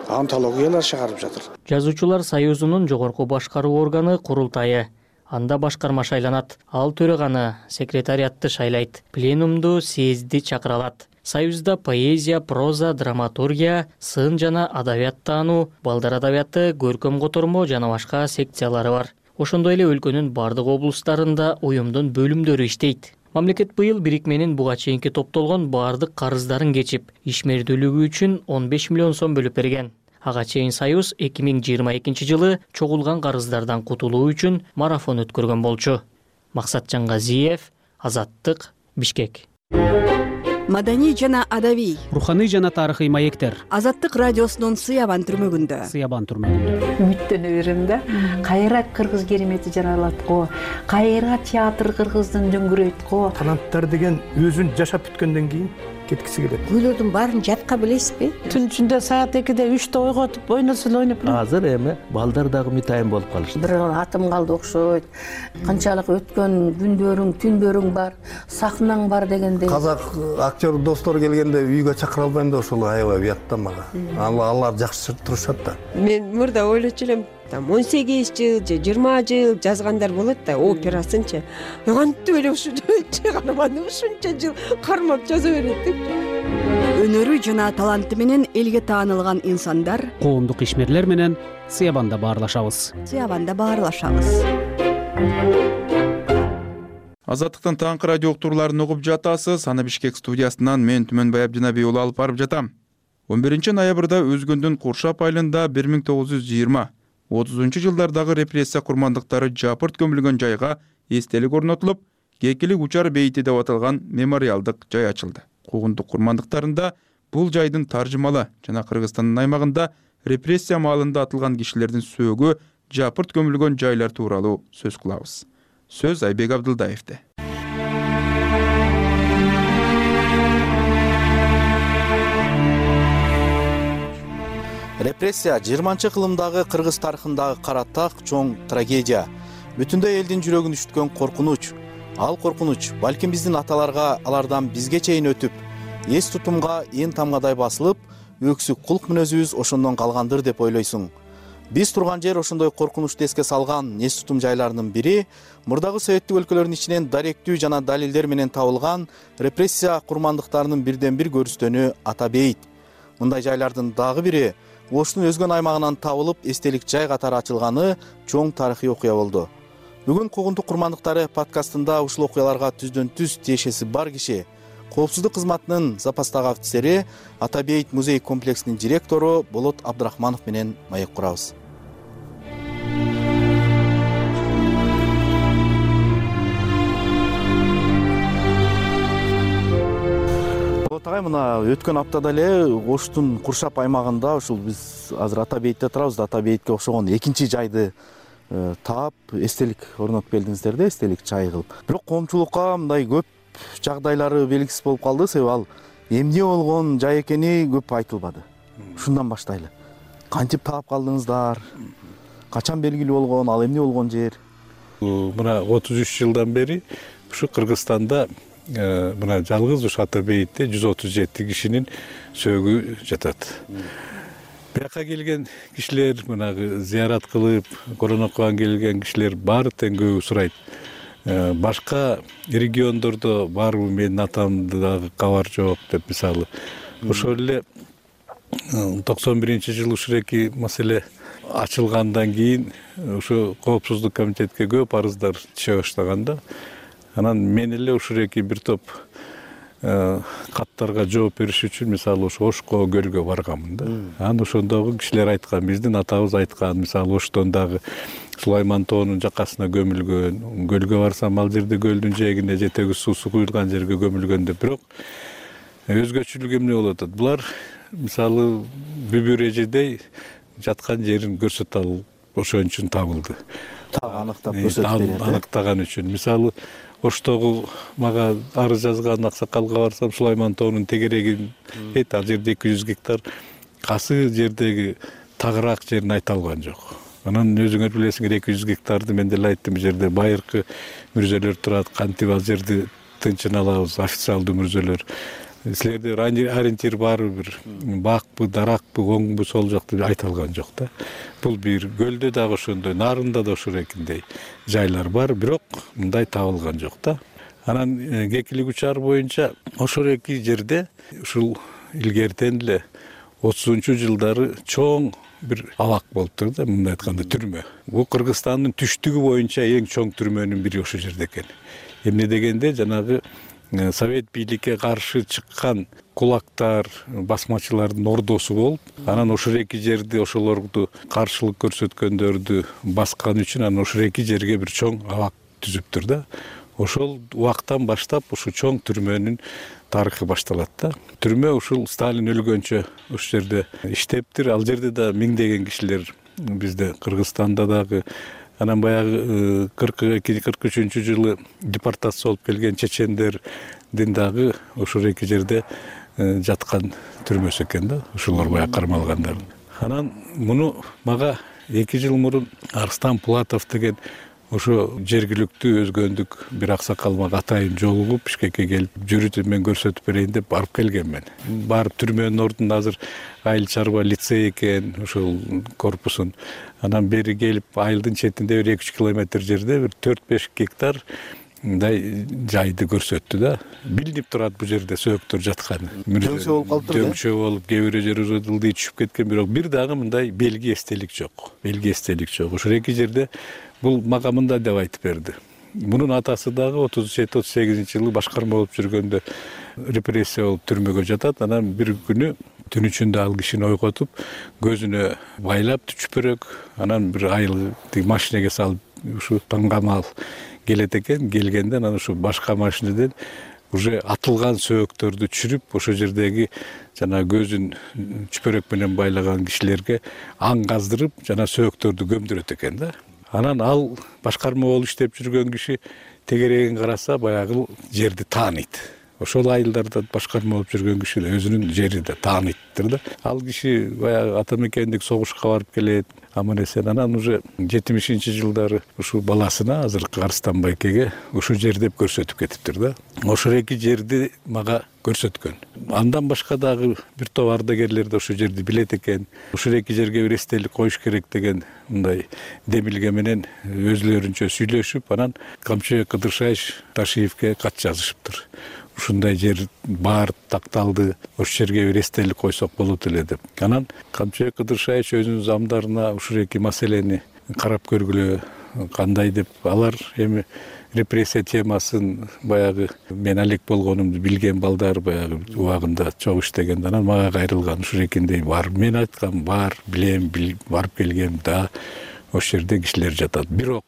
Антологиялар чыгарып жатыр. Жазуучулар союзунун жогорку башкаруу органы курултайы. Анда башкарма шайланат. Ал төраганы, секретариатты шайлайт. Пленумду съезди чакыра алат. Союзда поэзия, проза, драматургия, сын жана адабият таануу, балдар адабияты, көркөм котормо жана башка секциялары бар. Ошондой эле өлкөнүн бардык облустарында уюмдун бөлүмдөрү иштейт. Мамлекет быйыл бирикменин буга чейинки топтолгон бардык карыздарын кечип, ишмердүүлүгү үчүн 15 миллион сом бөлүп берген. Ага чейин Союз 2022 жылы чогулган карыздардан кутулуу үчүн марафон өткөргөн болчу. Максатжан Газиев, Азаттык, Бишкек. Маданий жана адабий, руханий жана тарыхый маектер. Азаттык радиосунун Сыябан түрмөгүндө. Үмүттөнө берем да. Кайра кыргыз керемети жаралат го. Кайра театр кыргыздын дөңгүрөйт го. Таланттар деген өзүн жашап бүткөндөн кийин кеткиси келет. Күйлөрдүн баарын жатка билесизби? Түн ичинде саат 2-де 3-те ойготуп ойносо эле ойноп. Азыр эми балдар дагы митайын болуп калышты. Бир атым калды окшойт. Канчалык өткөн күндөрүң, түндөрүң бар, сахнаң бар дегендей. Казак актер достор келгенде үйгө чакыра албайм да ошол аябай уят да мага. Алар жакшы турушат да. Мен мурда ойлочу элем, 18 жыл же 20 жыл жазгандар болот да, операсынчы. Кантип эле ушунча чыгарманы ушунча жыл кармап жаза берет деп. Өнөрү жана таланты менен элге таанылган инсандар, Коомдук ишмерлер менен Сыябанда баарлашабыз. Азаттыктын таңкы радио уктурууларын угуп жатасыз. Аны Бишкек студиясынан мен Түмөнбай Абдинабий уулу алып барып жатам. 11 ноябрда Өзгөндүн Куршап айылында 1920-30 жылдардагы репрессия курмандыктары жапырт көмүлгөн жайга эстелик орнотулуп, Кекилик учар бейити деп аталган мемориалдык жай ачылды. Куугундук курмандыктарында бул жайдын таржымалы жана Кыргызстандын аймагында репрессия маалында атылган кишилердин сөөгү жапырт көмүлгөн жайлар тууралуу сөз кылабыз. Сөз Айбек Абдылдаевде. Репрессия 20-кылымдагы кыргыз тарыхындагы каратак чоң трагедия. Бүтүндөй элдин жүрөгүн үчүткөн коркунуч. Ал коркунуч балким биздин аталарга алардан бизге чейин өтүп, эс тутумга ээн тамгадай басылып, өксүк кулк мүнөзүбүз ошондон калгандыр деп ойлойсуң. Биз турган жер ошондой коркунучту эске салган эс тутум жайларынын бири мурдагы советтик өлкөлөрдүн ичинен даректүү жана далилдер менен табылган репрессия курмандыктарынын бирден бир көрүстөнү Ата бейит. Мындай жайлардын дагы бири Оштун Өзгөн аймагынан табылып эстелик жай катары ачылганы чоң тарыхый окуя болду. Бүгүн Куугундук курмандыктары подкастында ушул окуяларга түздөн түз тиешеси бар киши, Коопсуздук кызматынын запастагы офицери, Ата бейит музей комплексинин директору Болот Абдрахманов менен маек курабыз. Болот агай, мына өткөн аптада эле Оштун Куршап аймагында ушул биз азыр Ата бейтте турабыз, Ата бейтке окшогон экинчи жайды таап эстелик орнотуп келдиңиздер да, эстелик чай кылып. Бирок коомчулукка мындай көп жагдайлары белгисиз болуп калды, себеби ал эмне болгон жай экени көп айтылбады. Ушундан баштайлы. Кантип таап калдыңыздар? Качан белгилүү болгон, ал эмне болгон жер? Мына 33 жылдан бери ушу Кыргызстанда мына жалгыз ушу Ата бейтте 137 кишинин сөөгү жатат. Бияка келген кишилер, мына зыярат кылып, коронакка келген кишилер баары тең көбү сурайт. Башка региондордо барбы, менин атамды дагы кабар жок деп, мисалы. Ошол эле 91-жылы ушуреки маселе ачылгандан кийин ушу Коопсуздук комитетке көп арыздар түшө баштаганда, анан мен эле ушуреки бир топ каттарга жооп бериш үчүн мисалы ошо Ошко көлгө барганмын да. Анан ошондогу кишилер айткан, биздин атабыз айткан, мисалы Оштон дагы Сулайман тоонун жакасына көмүлгөн, көлгө барсам ал жерде көлдүн жээгине жетеги суусу куюлган жерге көмүлгөн деп. Бирок өзгөчөлүк эмне болуп атат? Булар мисалы бүбүр эжедей жаткан жерин көрсөтө алып ошон үчүн табылды. Аныктап көрсөтүп берет. Аныктаган үчүн. Мисалы Оштогу мага арыз жазган аксакалга барсам, Сулайман тоонун тегерегин ал жерде 200 гектар касы жердеги тагыраак жерин айта алган жок. Анан өзүңөр билесиңер, 200 гектарды мен деле айттым, жер байыркы мүрзөлөр турат, кантип ал жерди тынчын алабыз, официалдуу мүрзөлөр. Силерде ориентир барбы, бир бакпы, даракпы, оңбу, сол жок деп айта алган жок да. Бул бир көлдө дагы ошондой, нарында да ошорекиндей жайлар бар, бирок мындай табылган жок да. Анан Кекилик учары боюнча ошол эки жерде ушул илгертен эле 30-njу жылдары чоң бир абак болуптур да, мындай айтканда түрмө. Бул Кыргызстандын түштүгү боюнча эң чоң түрмөнүн бири ошол жерде экен. Эмне дегенде жанагы совет бийликке каршы чыккан кулактар, басмачылардын ордосу болуп, анан ошол эки жерди ошолорду каршылык көрсөткөндөрдү баскан үчүн анан ошол эки жерге бир чоң абак түзүптүр да. Ошол убактан баштап ушул чоң түрмөнүн тарыхы башталат да. Түрмө ушул Сталин өлгөнчө ошол жерде иштептир. Ал жерде да миңдеген кишилер бизде Кыргызстанда дагы, анан баягы 42-43 жылы депортация болуп келген чечендердин дагы ошол эки жерде жаткан түрмөсү экен да, ошолор баягы кармалгандар. Анан муну мага 2 жыл мурун Арстан Пулатов деген ошо жергиликтүү өзгөндүк бир аксакал мага атайын жолугуп Бишкекке келип, жүрүп мен көрсөтүп берейин деп барып келгенмин. Барып түрмөнүн ордунда азыр айыл чарба лицей экен, ошол корпусун. Анан бери келип айылдын четинде бир 2-3 километр жерде бир 4-5 гектар мындай жайды көрсөттү да. Билинип турат бул жерде сөөктөр жатканы. Дөңчө болуп калыптыр. Дөңчө болуп, кээ бир жери уже ылдый түшүп кеткен, бирок бир дагы мындай белги эстелик жок. Белги эстелик жок. Ошол эки жерде бул мага мындай деп айтып берди. Мунун атасы дагы 37-38 жылы башкарма болуп жүргөндө репрессия болуп түрмөгө жатат. Анан бир күнү түн ичинде ал кишини ойготуп, көзүнө байлап чүпөрөк, анан бир айыл машинеге салып ушу таңгамал келет экен. Келгенде анан ушу башка машинеден уже атылган сөөктөрдү түшүрүп, ошол жердеги жана көзүн чүпөрөк менен байлаган кишилерге аң каздырып, жана сөөктөрдү көмдүрөт экен да. Анан ал башкарма болуп иштеп жүргөн киши тегерегин караса баягы жерди тааныйт. Ошол айылдарда башкарма болуп жүргөн киши да өзүнүн жери да тааныйттыр да. Ал киши баягы ата мекендик согушка барып келет, аман эсен. Анан уже 70-жылдары ушул баласына, азыркы Арстан байкеге ушул жер деп көрсөтүп кетиптир да. Ошол эки жерди мага көрсөткөн. Андан башка дагы бир топ ардагерлер да ошол жерди билет экен. Ошол эки жерге бир эстелик коюш керек деген мындай демилге менен өзлөрүнчө сүйлөшүп, анан Камчыбек Кыдыршаевич Ташиевке кат жазышыптыр. Ушундай жер бар, такталды, ошол жерге бир эстелик койсок болот эле деп. Анан Камчыбек Кыдыршаевич өзүнүн замдарына ушул эки маселени карап көргүлө, кандай деп. Алар эми репрессия темасын баягы мен алек болгонумду билген балдар баягы убагында чогуу иштеген. Анан мага кайрылган ушул экиндей бар. Мен айткам бар, билем, барып келгем да, ошол жерде кишилер жатат. Бирок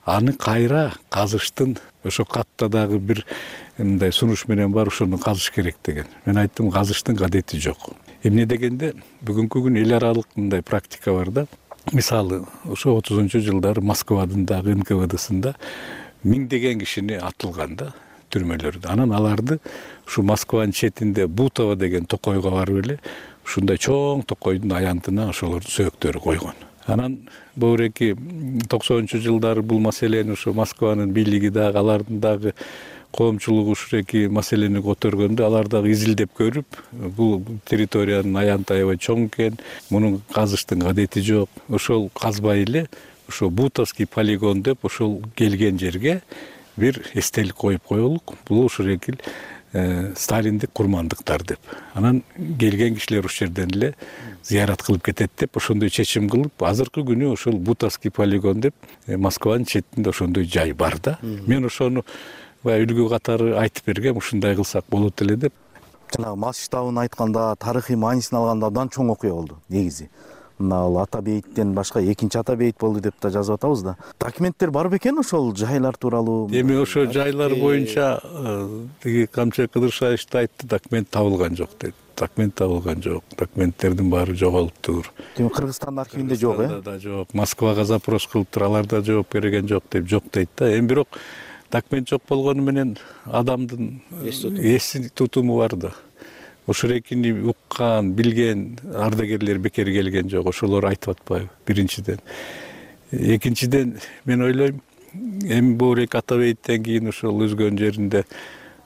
аны кайра казыштын ошо катта дагы бир мындай сунуш менен бар, ошону казыш керек деген. Мен айттым, казыштын кадети жок. Эмне дегенде бүгүнкү күн эл аралык мындай практика бар да. Мисалы, ошо 30-njу жылдары Москвадын дагы НКВДсында миңдеген кишини атылган да түрмөлөрдө. Анан аларды ушу Москванын четинде Бутово деген токойго барып эле ушундай чоң токойдун аянтына ошолордун сөөктөрү койгон. Анан бөүреки 90-njу жылдары бул маселени ушу Москванын бийлиги дагы, алардын дагы коомчулугу ушул эки маселени көтөргөндө, алар дагы изилдеп көрүп, бул территориянын аянты аябай чоң экен, мунун казыштын кадети жок. Ошол казбай эле ошо Бутовский полигон деп ошол келген жерге бир эстелик коюп коелук. Бул ушул эки сталиндик курмандыктар деп. Анан келген кишилер ушул жерден эле зыярат кылып кетет деп ошондой чечим кылып, азыркы күнү ошол Бутовский полигон деп Москванын четинде ошондой жай бар да. Мен ошону үлгү катары айтып бергем, ушундай кылсак болот эле деп. Жанагы масштабын айтканда, тарыхый маанисин алганда абдан чоң окуя болду негизи. Мына ал ата бейиттен башка экинчи ата бейит болду деп да жазып атабыз да. Документтер бар бекен ошол жайлар тууралуу? Эми ошо жайлар боюнча тиги Камчыбек Кыдыршаевич да айтты, документ табылган жок дейт. Документ табылган жок. Документтердин баары жоголуптур. Демек Кыргызстандын архивинде жок, Да жок. Москвага запрос кылыптыр, алар да жооп берген жок деп жок дейт да. Эми бирок документ жок болгону менен адамдын эс тутуму бар да. Ошол экини уккан, билген ардагерлер бекер келген жок. Ошолор айтып атпайбы биринчиден. Экинчиден мен ойлойм, эми бөүрек ата бейиттен кийин ошол өзгөн жеринде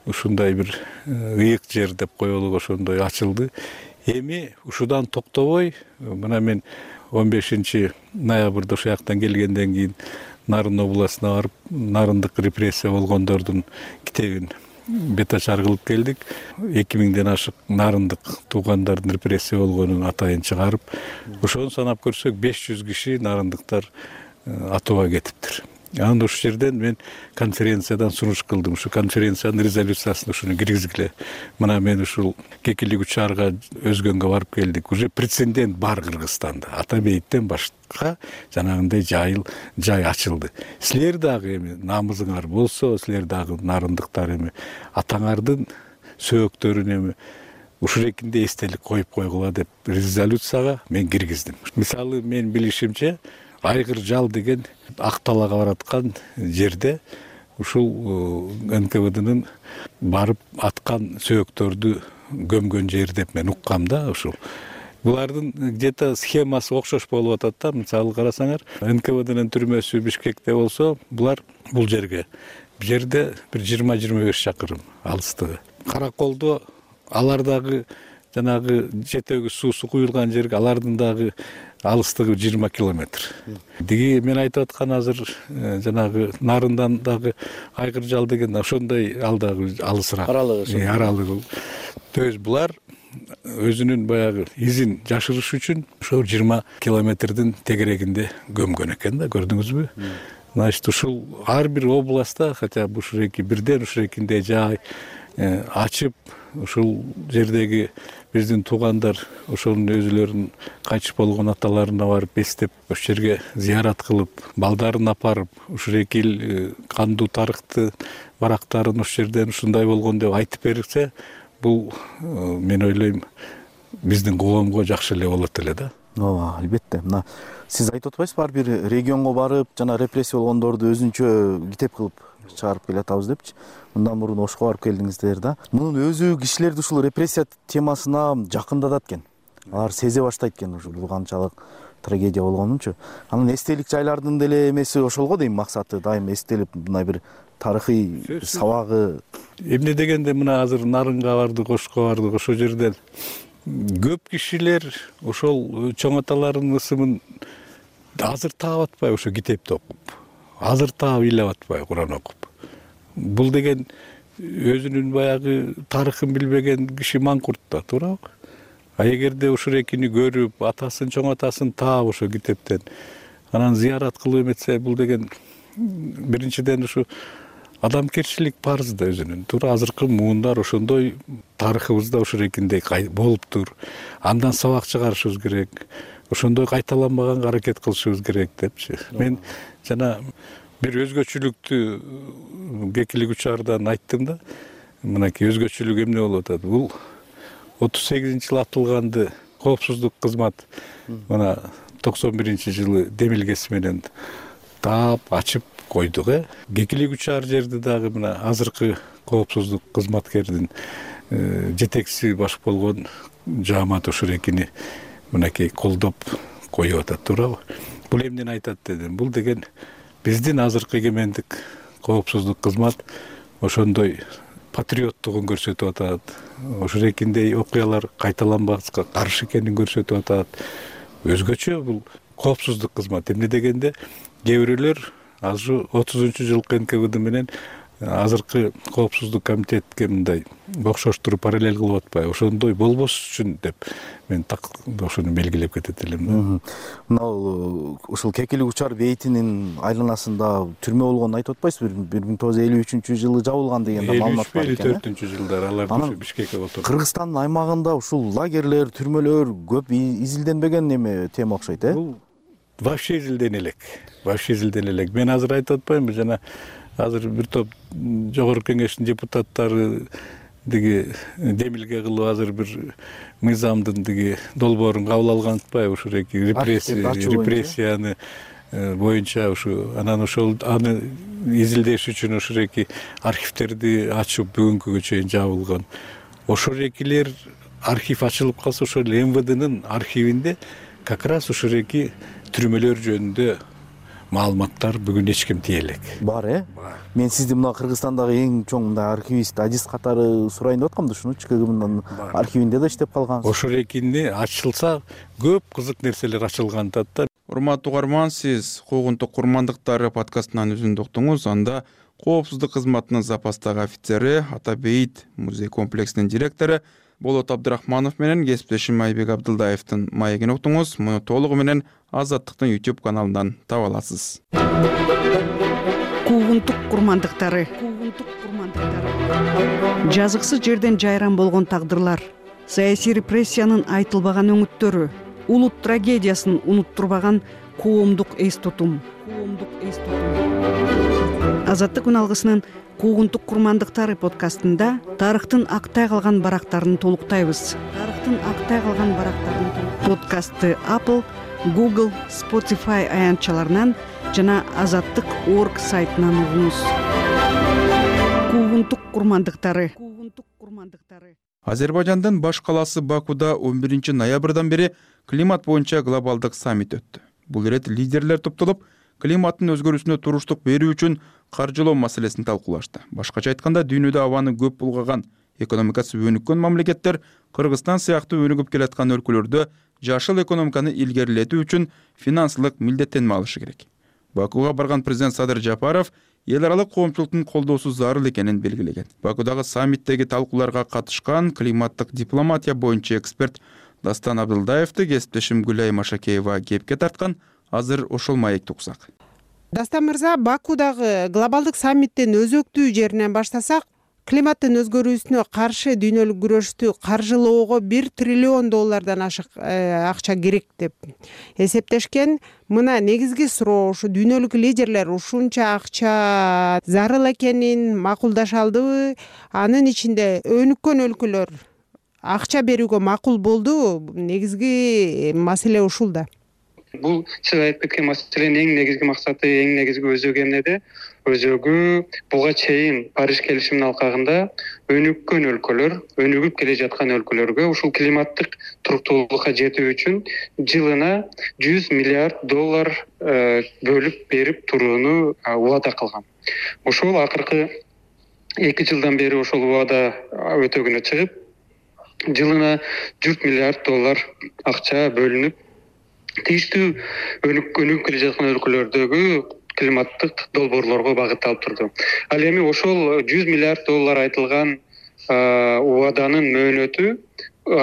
ушундай бир ыйык жер деп коелук, ошондой ачылды. Эми ушудан токтобой, мына мен 15 ноябрда ошол жактан келгенден кийин Нарын областына барып, нарындык репрессия болгондордун китебин бетачар кылып келдик. 2000ден ашык нарындык туугандардын репрессия болгонун атайын чыгарып, ошону санап көрсөк 500 киши нарындыктар атууга кетиптир. Анда ушул жерден мен конференциядан сунуш кылдым. Ушу конференциянын резолюциясына ушуну киргизгиле. Мына мен ушул Кекилик учарга өзгөнгө барып келдик. Уже прецедент бар Кыргызстанда. Ата бейиттен башка жанагындай жай ачылды. Силер дагы эми намызыңар болсо, силер дагы нарындыктар эми атаңардын сөөктөрүн эми ушул экинде эстелик коюп койгула деп резолюцияга мен киргиздим. Мисалы мен билишимче Айгыр жал деген Акталага бараткан жерде ушул НКВДнын барып аткан сөөктөрдү көмгөн жер деп мен уккам да. Ушул булардын где-то схемасы окшош болуп атат да. Мисалы карасаңар, НКВДнын түрмөсү Бишкекте болсо, бул жерге бул жерде бир 20-25 чакырым алыстыгы. Караколдо алар дагы жанагы жетеги суусу куюлган жерге алардын дагы алыстыгы 20 километр. Диги мен айтып аткан азыр жанагы нарындан дагы Айгыр жал деген ошондой ал дагы алысыраак. Аралыгы. То есть булар өзүнүн баягы изин жашырыш үчүн ошо 20 километрдин тегерегинде көмгөн экен да, көрдүңүзбү? Значит, ушул ар бир областта, хотя бы ушул эки бирден ушул экинде жай ачып, ушул жердеги биздин туугандар ошонун өзүлөрүнүн кайтыш болгон аталарына барып эстеп, ошол жерге зыярат кылып, балдарын апарып, ушул эки эл кандуу тарыхты барактарын ошол жерден ушундай болгон деп айтып берсе, бул мен ойлойм биздин коомго жакшы эле болот эле да. Ооба, албетте. Мына сиз айтып атпайсызбы, ар бир регионго барып, жана репрессия болгондорду өзүнчө китеп кылып чыгарып келатабыз депчи. Мындан мурун Ошко барып келдиңиздер да. Мунун өзү кишилерди ушул репрессия темасына жакындатат экен. Алар сезе баштайт экен ушул бул канчалык трагедия болгонунчу. Анын эстелик жайлардын деле эмеси ошол го дейм, максаты дайым эстелип мындай бир тарыхый сабагы. Эмне дегенде мына азыр Нарынга бардык, Ошко бардык, ошол жерден көп кишилер ошол чоң аталардын ысымын азыр таап атпай ошо китепти окуп, азыр таап ыйлап атпай Куран окуп. Бул деген өзүнүн баягы тарыхын билбеген киши маңкурт да, туурабы? А эгерде ушул экини көрүп, атасын, чоң атасын таап ошо китептен, анан зыярат кылып эметсе, бул деген биринчиден ушу адамгерчилик парыз да өзүнүн. Туура азыркы муундар ошондой тарыхыбызда ушул экиндей болуптур. Андан сабак чыгарышыбыз керек. Ошондой кайталанбаганга аракет кылышыбыз керек депчи. Мен жана бир өзгөчөлүктү Кекилик учардан айттым да. Мынакей өзгөчөлүк эмне болуп атат? Бул 38-жылы атылганды коопсуздук кызмат мына 91-жылы демилгеси менен таап, ачып койдук. Кекилик учар жерди дагы мына азыркы коопсуздук кызматкердин жетекчиси баш болгон жаамат ушул экини мынакей колдоп коюп атат, туурабы? Бул эмнени айтат дедим? Бул деген биздин азыркы эгемендик коопсуздук кызмат ошондой патриоттугун көрсөтүп атат. Ошол экиндей окуялар кайталанбаска каршы экенин көрсөтүп атат. Өзгөчө бул коопсуздук кызмат. Эмне дегенде кээ бирөөлөр азыр 30-жылкы НКВД менен азыркы коопсуздук комитетке мындай окшоштуруп параллель кылып атпайбы? Ошондой болбош үчүн деп мен так ошону белгилеп кетет элем. Мына ушул Кекилик учар бейитинин айланасында түрмө болгонун айтып атпайсызбы? 1953-жылы жабылган деген да маалымат бар экен. 54-жылдары алар Бишкекке отурду. Кыргызстандын аймагында ушул лагерлер, түрмөлөр көп изилденбеген неме тема окшойт, Бул вообще изилдене элек. Мен азыр айтып атпаймынбы, жана азыр бир топ жогорку кеңештин депутаттары диги демилге кылып азыр бир мыйзамдын диги долбоорун кабыл алган атпайбы? Ушул эки репрессияны боюнча ушу анан ошол аны изилдеш үчүн ушул эки архивтерди ачып бүгүнкүгө чейин жабылган. Ошол экилер архив ачылып калса, ошол МВДнын архивинде как раз ушул эки түрмөлөр жөнүндө маалыматтар бүгүн эч ким тие элек. Бар, Мен сизди мына Кыргызстандагы эң чоң мындай архивист, адист катары сурайын деп аткам да, ушунучу КГБнын архивинде да иштеп калгансыз. Ошол экини ачылса көп кызык нерселер ачылган атат да. Урматтуу угарман, сиз Куугунтук курмандыктары подкастынан үзүндү уктуңуз. Анда коопсуздук кызматынын запастагы офицери, Атабейит музей комплексинин директору Болот Абдрахманов менен кесиптешим Айбек Абдылдаевдин маегин уктуңуз. Муну толугу менен Азаттыктын YouTube каналынан таба аласыз. Куугунтук курмандыктары. Жазыксыз жерден жайран болгон тагдырлар, саясий репрессиянын айтылбаган өңүттөрү, улут трагедиясын унуттурбаган коомдук эс тутум. Азаттык үналгысынын Куугунтук курмандыктары подкастында тарыхтын актай калган барактарын толуктайбыз. Подкастты Apple, Google, Spotify аянтчаларынан жана Азаттык.org сайтынан угуңуз. Куугунтук курмандыктары. Азербайжандын баш калаасы Бакуда 11 ноябрдан бери климат боюнча глобалдык саммит өттү. Бул ирет лидерлер топтолуп, климаттын өзгөрүүсүнө туруштук берүү үчүн каржылоо маселесин талкуулашты. Башкача айтканда, дүйнөдө абаны көп булгаган, экономикасы өнүккөн мамлекеттер Кыргызстан сыяктуу өнүгүп келаткан өлкөлөрдө жашыл экономиканы илгерилетүү үчүн финансылык милдеттенме алышы керек. Бакуга барган президент Садыр Жапаров эл аралык коомчулуктун колдоосу зарыл экенин белгилеген. Бакудагы саммиттеги талкууларга катышкан климаттык дипломатия боюнча эксперт Дастан Абдылдаевди кесиптешим Гүлай Машакеева кепке тарткан. Азыр ошол маекти уксак. Дастан мырза, Бакудагы глобалдык саммиттин өзөктүү жеринен баштасак, климаттын өзгөрүүсүнө каршы дүйнөлүк күрөштү каржылоого $1 триллион ашык акча керек деп эсептешкен. Мына негизги суроо, ушу дүйнөлүк лидерлер ушунча акча зарыл экенин макулдаша алдыбы? Анын ичинде өнүккөн өлкөлөр акча берүүгө макул болдубу? Негизги маселе ушул да. Бул сиз айтып кеткен маселенин эң негизги максаты, эң негизги өзөгү эмнеде? Өзөгү буга чейин Париж келишиминин алкагында өнүккөн өлкөлөр, өнүгүп келе жаткан өлкөлөргө ушул климаттык туруктуулукка жетүү үчүн жылына $100 миллиард бөлүп берип турууну убада кылган. Ошол акыркы 2 жылдан бери ошол убада өтөгүнө чыгып, жылына $100 миллиард акча бөлүнүп, тийиштүү өнүгүп келе жаткан өлкөлөрдөгү климаттык долбоорлорго багытталып турду. Ал эми ошол $100 миллиард айтылган убаданын мөөнөтү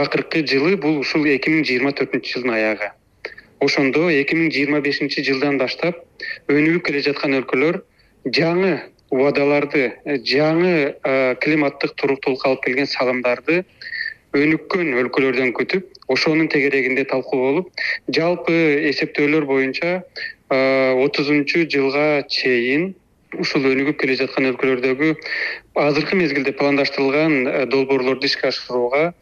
акыркы жылы бул ушул 2024 жылдын аягы. Ошондо 2025 жылдан баштап өнүгүп келе жаткан өлкөлөр жаңы убадаларды, жаңы климаттык туруктуулукка алып келген салымдарды өнүккөн өлкөлөрдөн күтүп, ошонун тегерегинде талкуу болуп, жалпы эсептөөлөр боюнча 30 жылга чейин ушул өнүгүп келе жаткан өлкөлөрдөгү азыркы мезгилде пландаштырылган долбоорлорду ишке ашырууга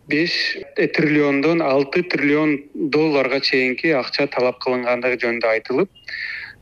$5 триллиондон $6 триллион чейинки акча талап кылынгандыгы жөнүндө айтылып,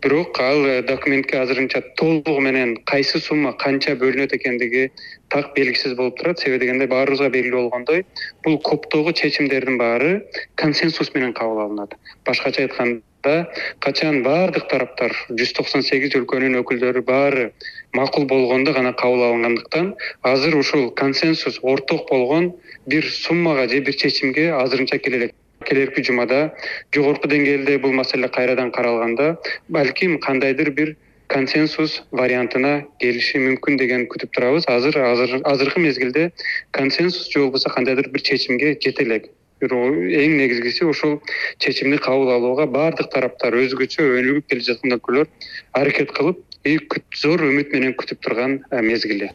бирок ал документке азырынча толугу менен кайсы сумма канча бөлүнөт экендиги так белгисиз болуп турат. Себеби дегенде баарыбызга белгилүү болгондой, бул коптогу чечимдердин баары консенсус менен кабыл алынат. Башкача айтканда, качан баардык тараптар 198 өлкөнүн өкүлдөрү баары макул болгондо гана кабыл алынгандыктан, азыр ушул консенсус орток болгон бир суммага же бир чечимге азырынча келе элек. Келерки жумада жогорку деңгээлде бул маселе кайрадан каралганда, балким кандайдыр бир консенсус вариантына келиши мүмкүн деген күтүп турабыз. Азыркы мезгилде консенсус же болбосо кандайдыр бир чечимге жете элек. Эң негизгиси ошол чечимди кабыл алууга баардык тараптар өзгөчө өнүгүп келе жаткан өлкөлөр аракет кылып, зор үмүт менен күтүп турган мезгили.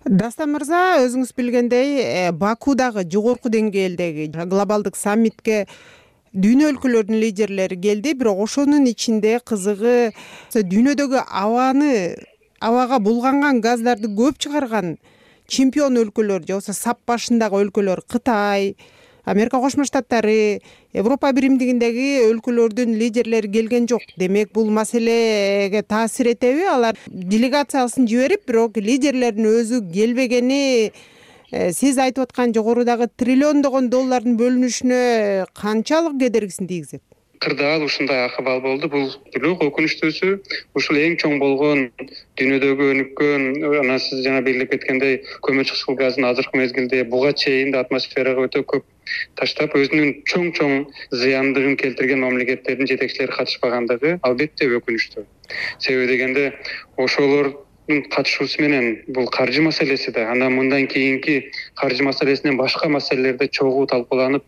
Дастан мырза, өзүңүз билгендей, Бакудагы жогорку деңгээлдеги глобалдык саммитке дүйнө өлкөлөрүнүн лидерлери келди, бирок ошонун ичинде кызыгы дүйнөдөгү абага булганган газдарды көп чыгарган чемпион өлкөлөр же болбосо сап башындагы өлкөлөр Кытай, Америка Кошмо Штаттары, Европа Биримдигиндеги өлкөлөрдүн лидерлери келген жок. Демек, бул маселеге таасир этеби? Алар делегациясын жиберип, бирок лидерлердин өзү келбегени сиз айтып аткан жогорудагы триллиондогон доллардын бөлүнүшүнө канчалык кедергисин тийгизет? кырдаал ушундай акыбал болду. Бул бирок өкүнүчтүүсү ушул эң чоң болгон дүйнөдөгү өнүккөн, анан сиз жана белгилеп кеткендей, көмүр кычкыл газын азыркы мезгилде буга чейин да атмосферага өтө көп таштап, өзүнүн чоң зыяндыгын келтирген мамлекеттердин жетекчилери катышпагандыгы албетте өкүнүчтүү. Себеби дегенде ошолордун катышуусу менен бул каржы маселеси да, анан мындан кийинки каржы маселесинен башка маселелерде чогуу талкууланып,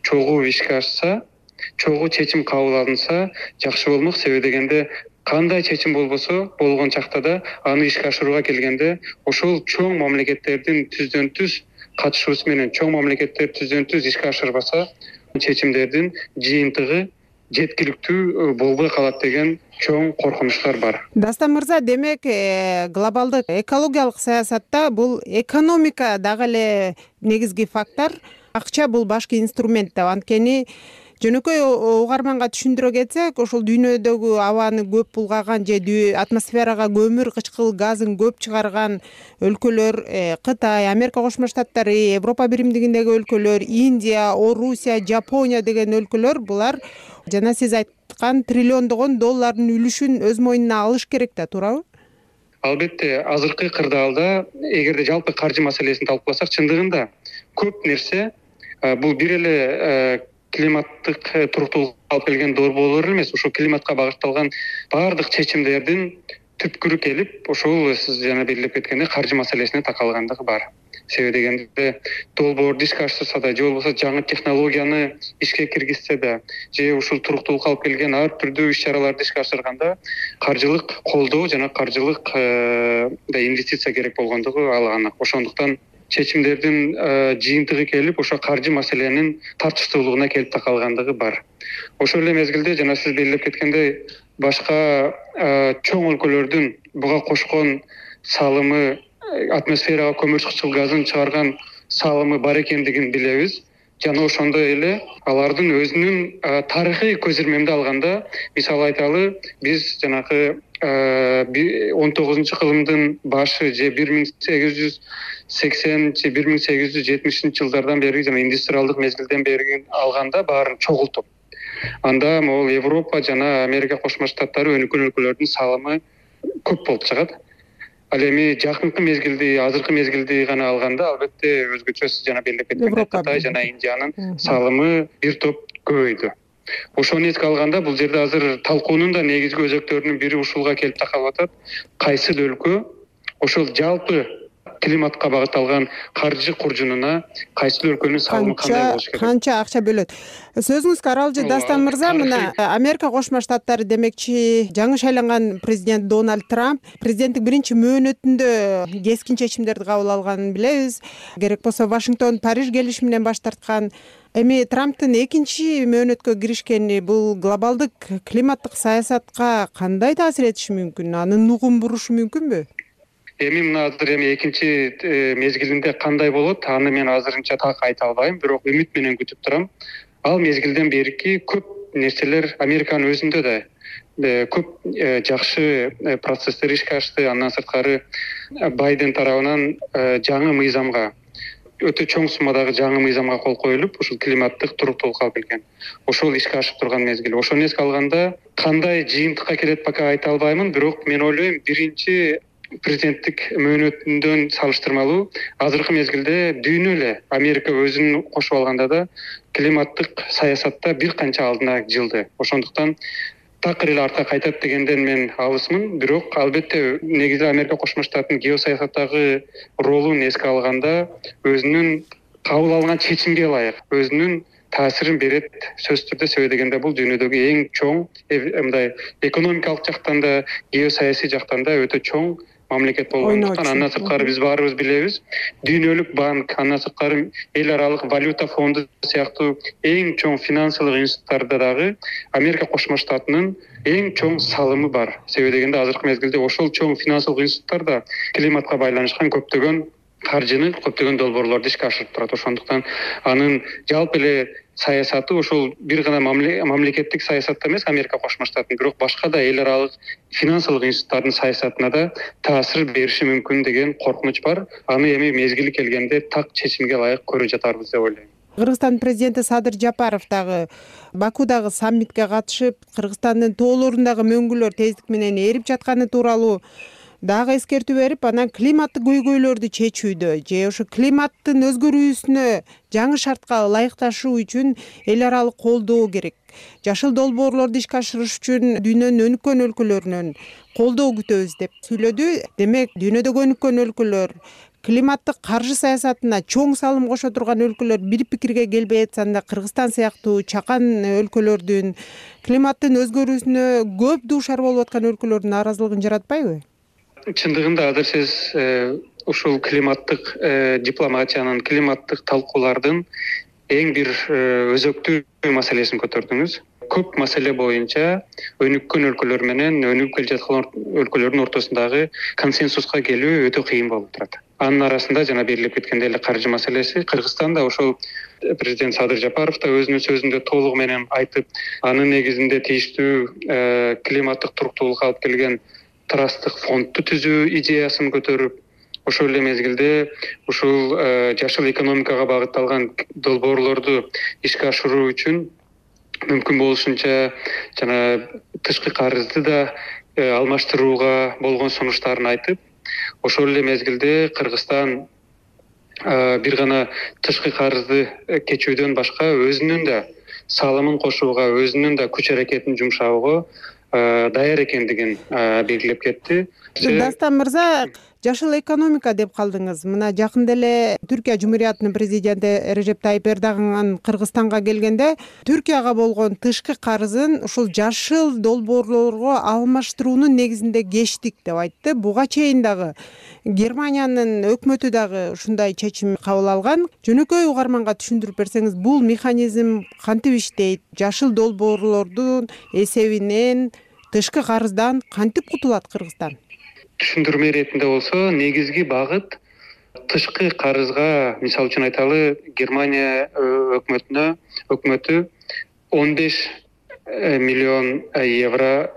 чогуу ишке ашса, чогуу чечим кабыл алынса жакшы болмок. Себеби дегенде кандай чечим болбосо болгон чакта да аны ишке ашырууга келгенде ошол чоң мамлекеттердин түздөн түз катышуусу менен, чоң мамлекеттер түздөн түз ишке ашырбаса, чечимдердин жыйынтыгы жеткиликтүү болбой калат деген чоң коркунучтар бар. Дастан мырза, демек глобалдык экологиялык саясатта бул экономика дагы эле негизги фактор, акча бул башкы инструмент деп. Анткени жөнөкөй угарманга түшүндүрө кетсек, ошол дүйнөдөгү абаны көп булгаган же атмосферага көмүр кычкыл газын көп чыгарган өлкөлөр Кытай, Америка Кошмо Штаттары, Европа Биримдигиндеги өлкөлөр, Индия, Орусия, Жапония деген өлкөлөр, булар жана сиз айткан триллиондогон доллардын үлүшүн өз мойнуна алыш керек да, туурабы? Албетте, азыркы кырдаалда эгерде жалпы каржы маселесин талкууласак, чындыгында көп нерсе бул бир эле климаттык туруктуулукка алып келген долбоорлор эмес, ошол климатка багытталган баардык чечимдердин түпкүрү келип, ошол сиз жана белгилеп кеткендей каржы маселесине такалгандыгы бар. Себеби дегенде долбоорду ишке ашырса да, же болбосо жаңы технологияны ишке киргизсе да, же ушул туруктуулукка алып келген ар түрдүү иш-чараларды ишке ашырганда каржылык колдоо жана каржылык инвестиция керек болгондугу ал анык. Ошондуктан чечимдердин жыйынтыгы келип, ошо каржы маселенин тартыштуулугуна келип такалгандыгы бар. Ошол эле мезгилде жана сиз белгилеп кеткендей, башка чоң өлкөлөрдүн буга кошкон салымы, атмосферага көмүр кычкыл газын чыгарган салымы бар экендигин билебиз. Жана ошондой эле алардын өзүнүн тарыхый көзирмемди алганда, мисалы айталы, биз жанагы 19-кылымдын башы же 1880 же 1870 жылдардан бери жана индустриалдык мезгилден бери алганда баарын чогултуп, анда могул Европа жана Америка Кошмо Штаттары өнүккөн өлкөлөрдүн салымы көп болуп чыгат. Ал эми жакынкы мезгилди, азыркы мезгилди гана алганда, албетте өзгөчөсү жана белгилеп кеткендей Кытай жана Индиянын салымы бир топ көбөйдү. Ошону эске алганда, бул жерде азыр талкуунун да негизги өзөктөрүнүн бири ушулга келип такалып атат. Кайсыл өлкө ошол жалпы климатка багытталган каржы куржунуна кайсыл өлкөнүн салымы кандай болуш керек? Канча акча бөлөт? Сөзүңүзгө аралжы Дастан мырза, мына Америка Кошмо Штаттары демекчи жаңы шайланган президент Дональд Трамп президенттик биринчи мөөнөтүндө кескин чечимдерди кабыл алганын билебиз. Керек болсо Вашингтон Париж келишиминен баш тарткан. Эми Трамптын экинчи мөөнөткө киришкени бул глобалдык климаттык саясатка кандай таасир этиши мүмкүн? Анын нугун бурушу мүмкүнбү? Эми мына азыр экинчи мезгилинде кандай болот, аны мен азырынча так айта албайм, бирок үмүт менен күтүп турам. Ал мезгилден берки көп нерселер Американын өзүндө да көп жакшы процесстер ишке ашты. Андан сырткары Байден тарабынан жаңы мыйзамга, өтө чоң суммадагы жаңы мыйзамга кол коюлуп, ушул климаттык туруктуулукка алып келген. Ошол ишке ашып турган мезгил. Ошону эске алганда, кандай жыйынтыкка келет пока айта албаймын, бирок мен ойлойм, биринчи президенттик мөөнөтүндөн салыштырмалуу азыркы мезгилде дүйнө эле Америка өзүн кошуп алганда да климаттык саясатта бир канча алдына жылды. Ошондуктан такыр эле артка кайтат дегенден мен алысмын, бирок албетте негизи Америка Кошмо Штаттын геосаясаттагы ролун эске алганда өзүнүн кабыл алган чечимге ылайык өзүнүн таасирин берет сөзсүз түрдө. Себеби дегенде бул дүйнөдөгү эң чоң мындай экономикалык жактан да, геосаясий жактан да өтө чоң мамлекет болгондуктан, андан сырткары биз баарыбыз билебиз, дүйнөлүк банк, андан сырткары эл аралык валюта фонду сыяктуу эң чоң финансылык институттарда дагы Америка Кошмо Штатынын эң чоң салымы бар. Себеби дегенде азыркы мезгилде ошол чоң финансылык институттар да климатка байланышкан көптөгөн каржыны, көптөгөн долбоорлорду ишке ашырып турат. Ошондуктан анын жалпы эле саясаты ошол бир гана мамлекеттик саясатта эмес Америка Кошмо Штатын, бирок башка да эл аралык финансылык институттардын саясатына да таасир бериши мүмкүн деген коркунуч бар. Аны эми мезгили келгенде так чечимге ылайык көрө жатарбыз деп ойлойм. Кыргызстан президенти Садыр Жапаров дагы Бакудагы саммитке катышып, Кыргызстандын тоолорундагы мөңгүлөр тездик менен эрип жатканы тууралуу дагы эскертүү берип, анан климаттык көйгөйлөрдү чечүүдө же ошо климаттын өзгөрүүсүнө жаңы шартка ылайыкташуу үчүн эл аралык колдоо керек. Жашыл долбоорлорду ишке ашырыш үчүн дүйнөнүн өнүккөн өлкөлөрүнөн колдоо күтөбүз деп сүйлөдү. Демек, дүйнөдөгү өнүккөн өлкөлөр климаттык каржы саясатына чоң салым кошо турган өлкөлөр бир пикирге келбей жатсанда, Кыргызстан сыяктуу чакан өлкөлөрдүн климаттын өзгөрүүсүнө көп дуушар болуп аткан өлкөлөрдүн нааразылыгын жаратпайбы? Чындыгында азыр сиз ушул климаттык дипломатиянын, климаттык талкуулардын эң бир өзөктүү маселесин көтөрдүңүз. Көп маселе боюнча өнүккөн өлкөлөр менен өнүгүп келе жаткан өлкөлөрдүн ортосундагы консенсуска келүү өтө кыйын болуп турат. Анын арасында жана белгилеп кеткендей эле каржы маселеси. Кыргызстан да ошол президент Садыр Жапаров да өзүнүн сөзүндө толугу менен айтып, анын негизинде тийиштүү климаттык туруктуулукка алып келген трасттык фондду түзүү идеясын көтөрүп, ошол эле мезгилде ушул жашыл экономикага багытталган долбоорлорду ишке ашыруу үчүн мүмкүн болушунча жана тышкы карызды да алмаштырууга болгон сунуштарын айтып, ошол эле мезгилде Кыргызстан бир гана тышкы карызды кечүүдөн башка өзүнүн да салымын кошууга, өзүнүн да күч аракетин жумшаууга даяр экендигин белгилеп кетти. Дастан мырза, жашыл экономика деп калдыңыз. Мына жакында эле Түркия Жумуриятынын президенти Режеп Тайип Эрдоган Кыргызстанга келгенде Түркияга болгон тышкы карызын ушул жашыл долбоорлорго алмаштыруунун негизинде кечтик деп айтты. Буга чейин дагы Германиянын өкмөтү дагы ушундай чечим кабыл алган. Жөнөкөй угарманга түшүндүрүп берсеңиз, бул механизм кантип иштейт? Жашыл долбоорлордун эсебинен тышкы карыздан кантип кутулат Кыргызстан? Түшүндүрмө иретинде болсо, негизги багыт тышкы карызга, мисалы үчүн айталы, Германия өкмөтү 15 миллион евро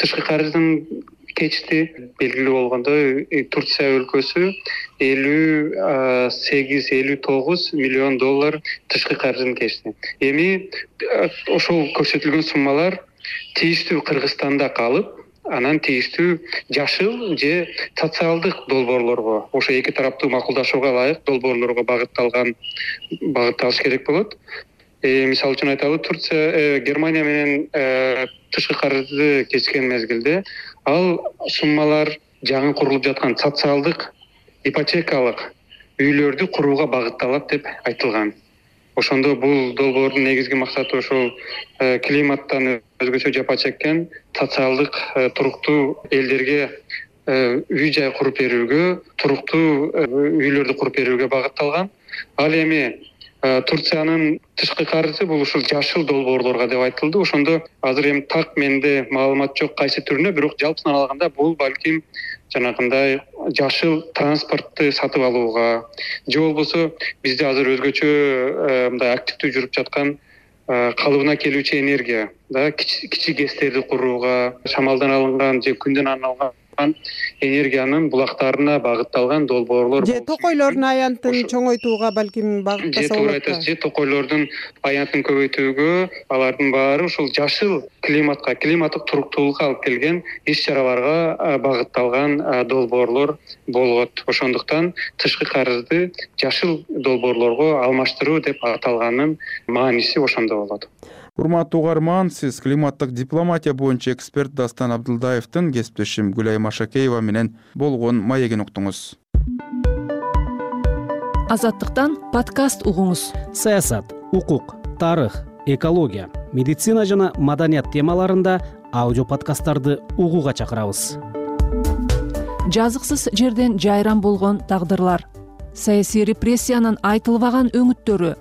тышкы карыздын кечти. Белгилүү болгондой, Турция өлкөсү 58-59 миллион доллар тышкы карызын кечти. Эми ошол көрсөтүлгөн суммалар тийиштүү Кыргызстанда калып, анан тийиштүү жашыл же социалдык долбоорлорго, ошо эки тараптуу макулдашууга ылайык долбоорлорго багытталыш керек болот. Мисалы үчүн айталы, Турция, Германия менен тышкы карызды кечкен мезгилде ал суммалар жаңы курулуп жаткан социалдык ипотекалык үйлөрдү курууга багытталат деп айтылган. Ошондо бул долбоордун негизги максаты ошол климаттан өзгөчө жапа чеккен социалдык туруктуу элдерге үй жай куруп берүүгө, туруктуу үйлөрдү куруп берүүгө багытталган. Ал эми Турциянын тышкы карызы бул ушул жашыл долбоорлорго деп айтылды. Ошондо азыр эми так менде маалымат жок кайсы түрүнө, бирок жалпысынан алганда бул балким жанагындай жашыл транспортты сатып алууга, же болбосо бизде азыр өзгөчө мындай активдүү жүрүп жаткан калыбына келүүчү энергия, кичи ГЭСтерди курууга, шамалдан алынган же күндөн алынган энергиянын булактарына багытталган долбоорлор. Же токойлордун аянтын чоңойтууга балким багыттаса болот. Же токойлордун аянтын көбөйтүүгө, алардын баары ушул жашыл климатка, климаттык туруктуулукка алып келген иш-чараларга багытталган долбоорлор болот. Ошондуктан тышкы карызды жашыл долбоорлорго алмаштыруу деп аталганын мааниси ошондо болот. Урматтуу угарман, сиз климаттык дипломатия боюнча эксперт Дастан Абдылдаевдин кесиптешим Гүлай Машакеева менен болгон маегин уктуңуз. Азаттыктан подкаст угуңуз. Саясат, укук, тарых, экология, медицина жана маданият темаларында аудио подкасттарды угууга чакырабыз. Жазыксыз жерден жайран болгон тагдырлар, саясий репрессиянын айтылбаган өңүттөрү,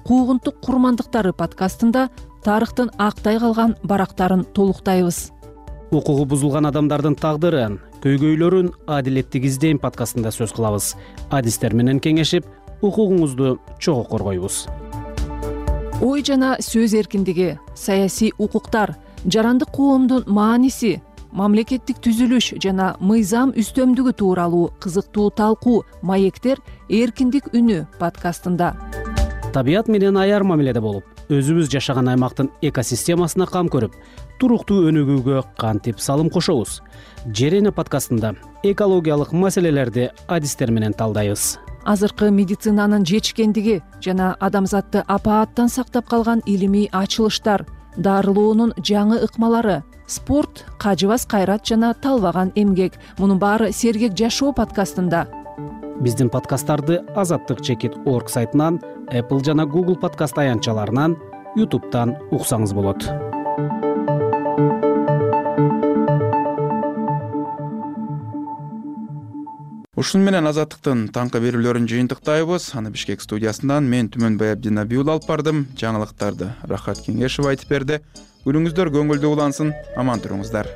куугунтук курмандыктары подкастында тарыхтын актай калган барактарын толуктайбыз. Укугу бузулган адамдардын тагдырын, көйгөйлөрүн адилеттик издейм подкастында сөз кылабыз. Адистер менен кеңешип, укугуңузду чогуу коргойбуз. Ой жана сөз эркиндиги, саясий укуктар, жарандык коомдун мааниси, мамлекеттик түзүлүш жана мыйзам үстөмдүгү тууралуу кызыктуу талкуу маектер эркиндик үнү подкастында. табият менен аяр мамиледе болуп, өзүбүз жашаган аймактын экосистемасына кам көрүп, туруктуу өнүгүүгө кантип салым кошобуз? Жер эне подкастында экологиялык маселелерди адистер менен талдайбыз. Азыркы медицинанын жетишкендиги жана адамзатты апааттан сактап калган илимий ачылыштар, дарылоонун жаңы ыкмалары, спорт, кажыбас кайрат жана талбаган эмгек. Мунун баары Сергек жашоо подкастында. Биздин подкасттарды azattik.org сайтынан, Apple жана Google подкаст аянтчаларынан, YouTube'дан уксаңыз болот. Ушун менен Азаттыктын таңкы берүүлөрүн жыйынтыктайбыз. Аны Бишкек студиясынан мен Түмөнбай Абдинабиул алып бардым. Жаңылыктарды Рахат Кеңешев айтып берди. Күнүңүздөр көңүлдүү улансын. Аман туруңуздар.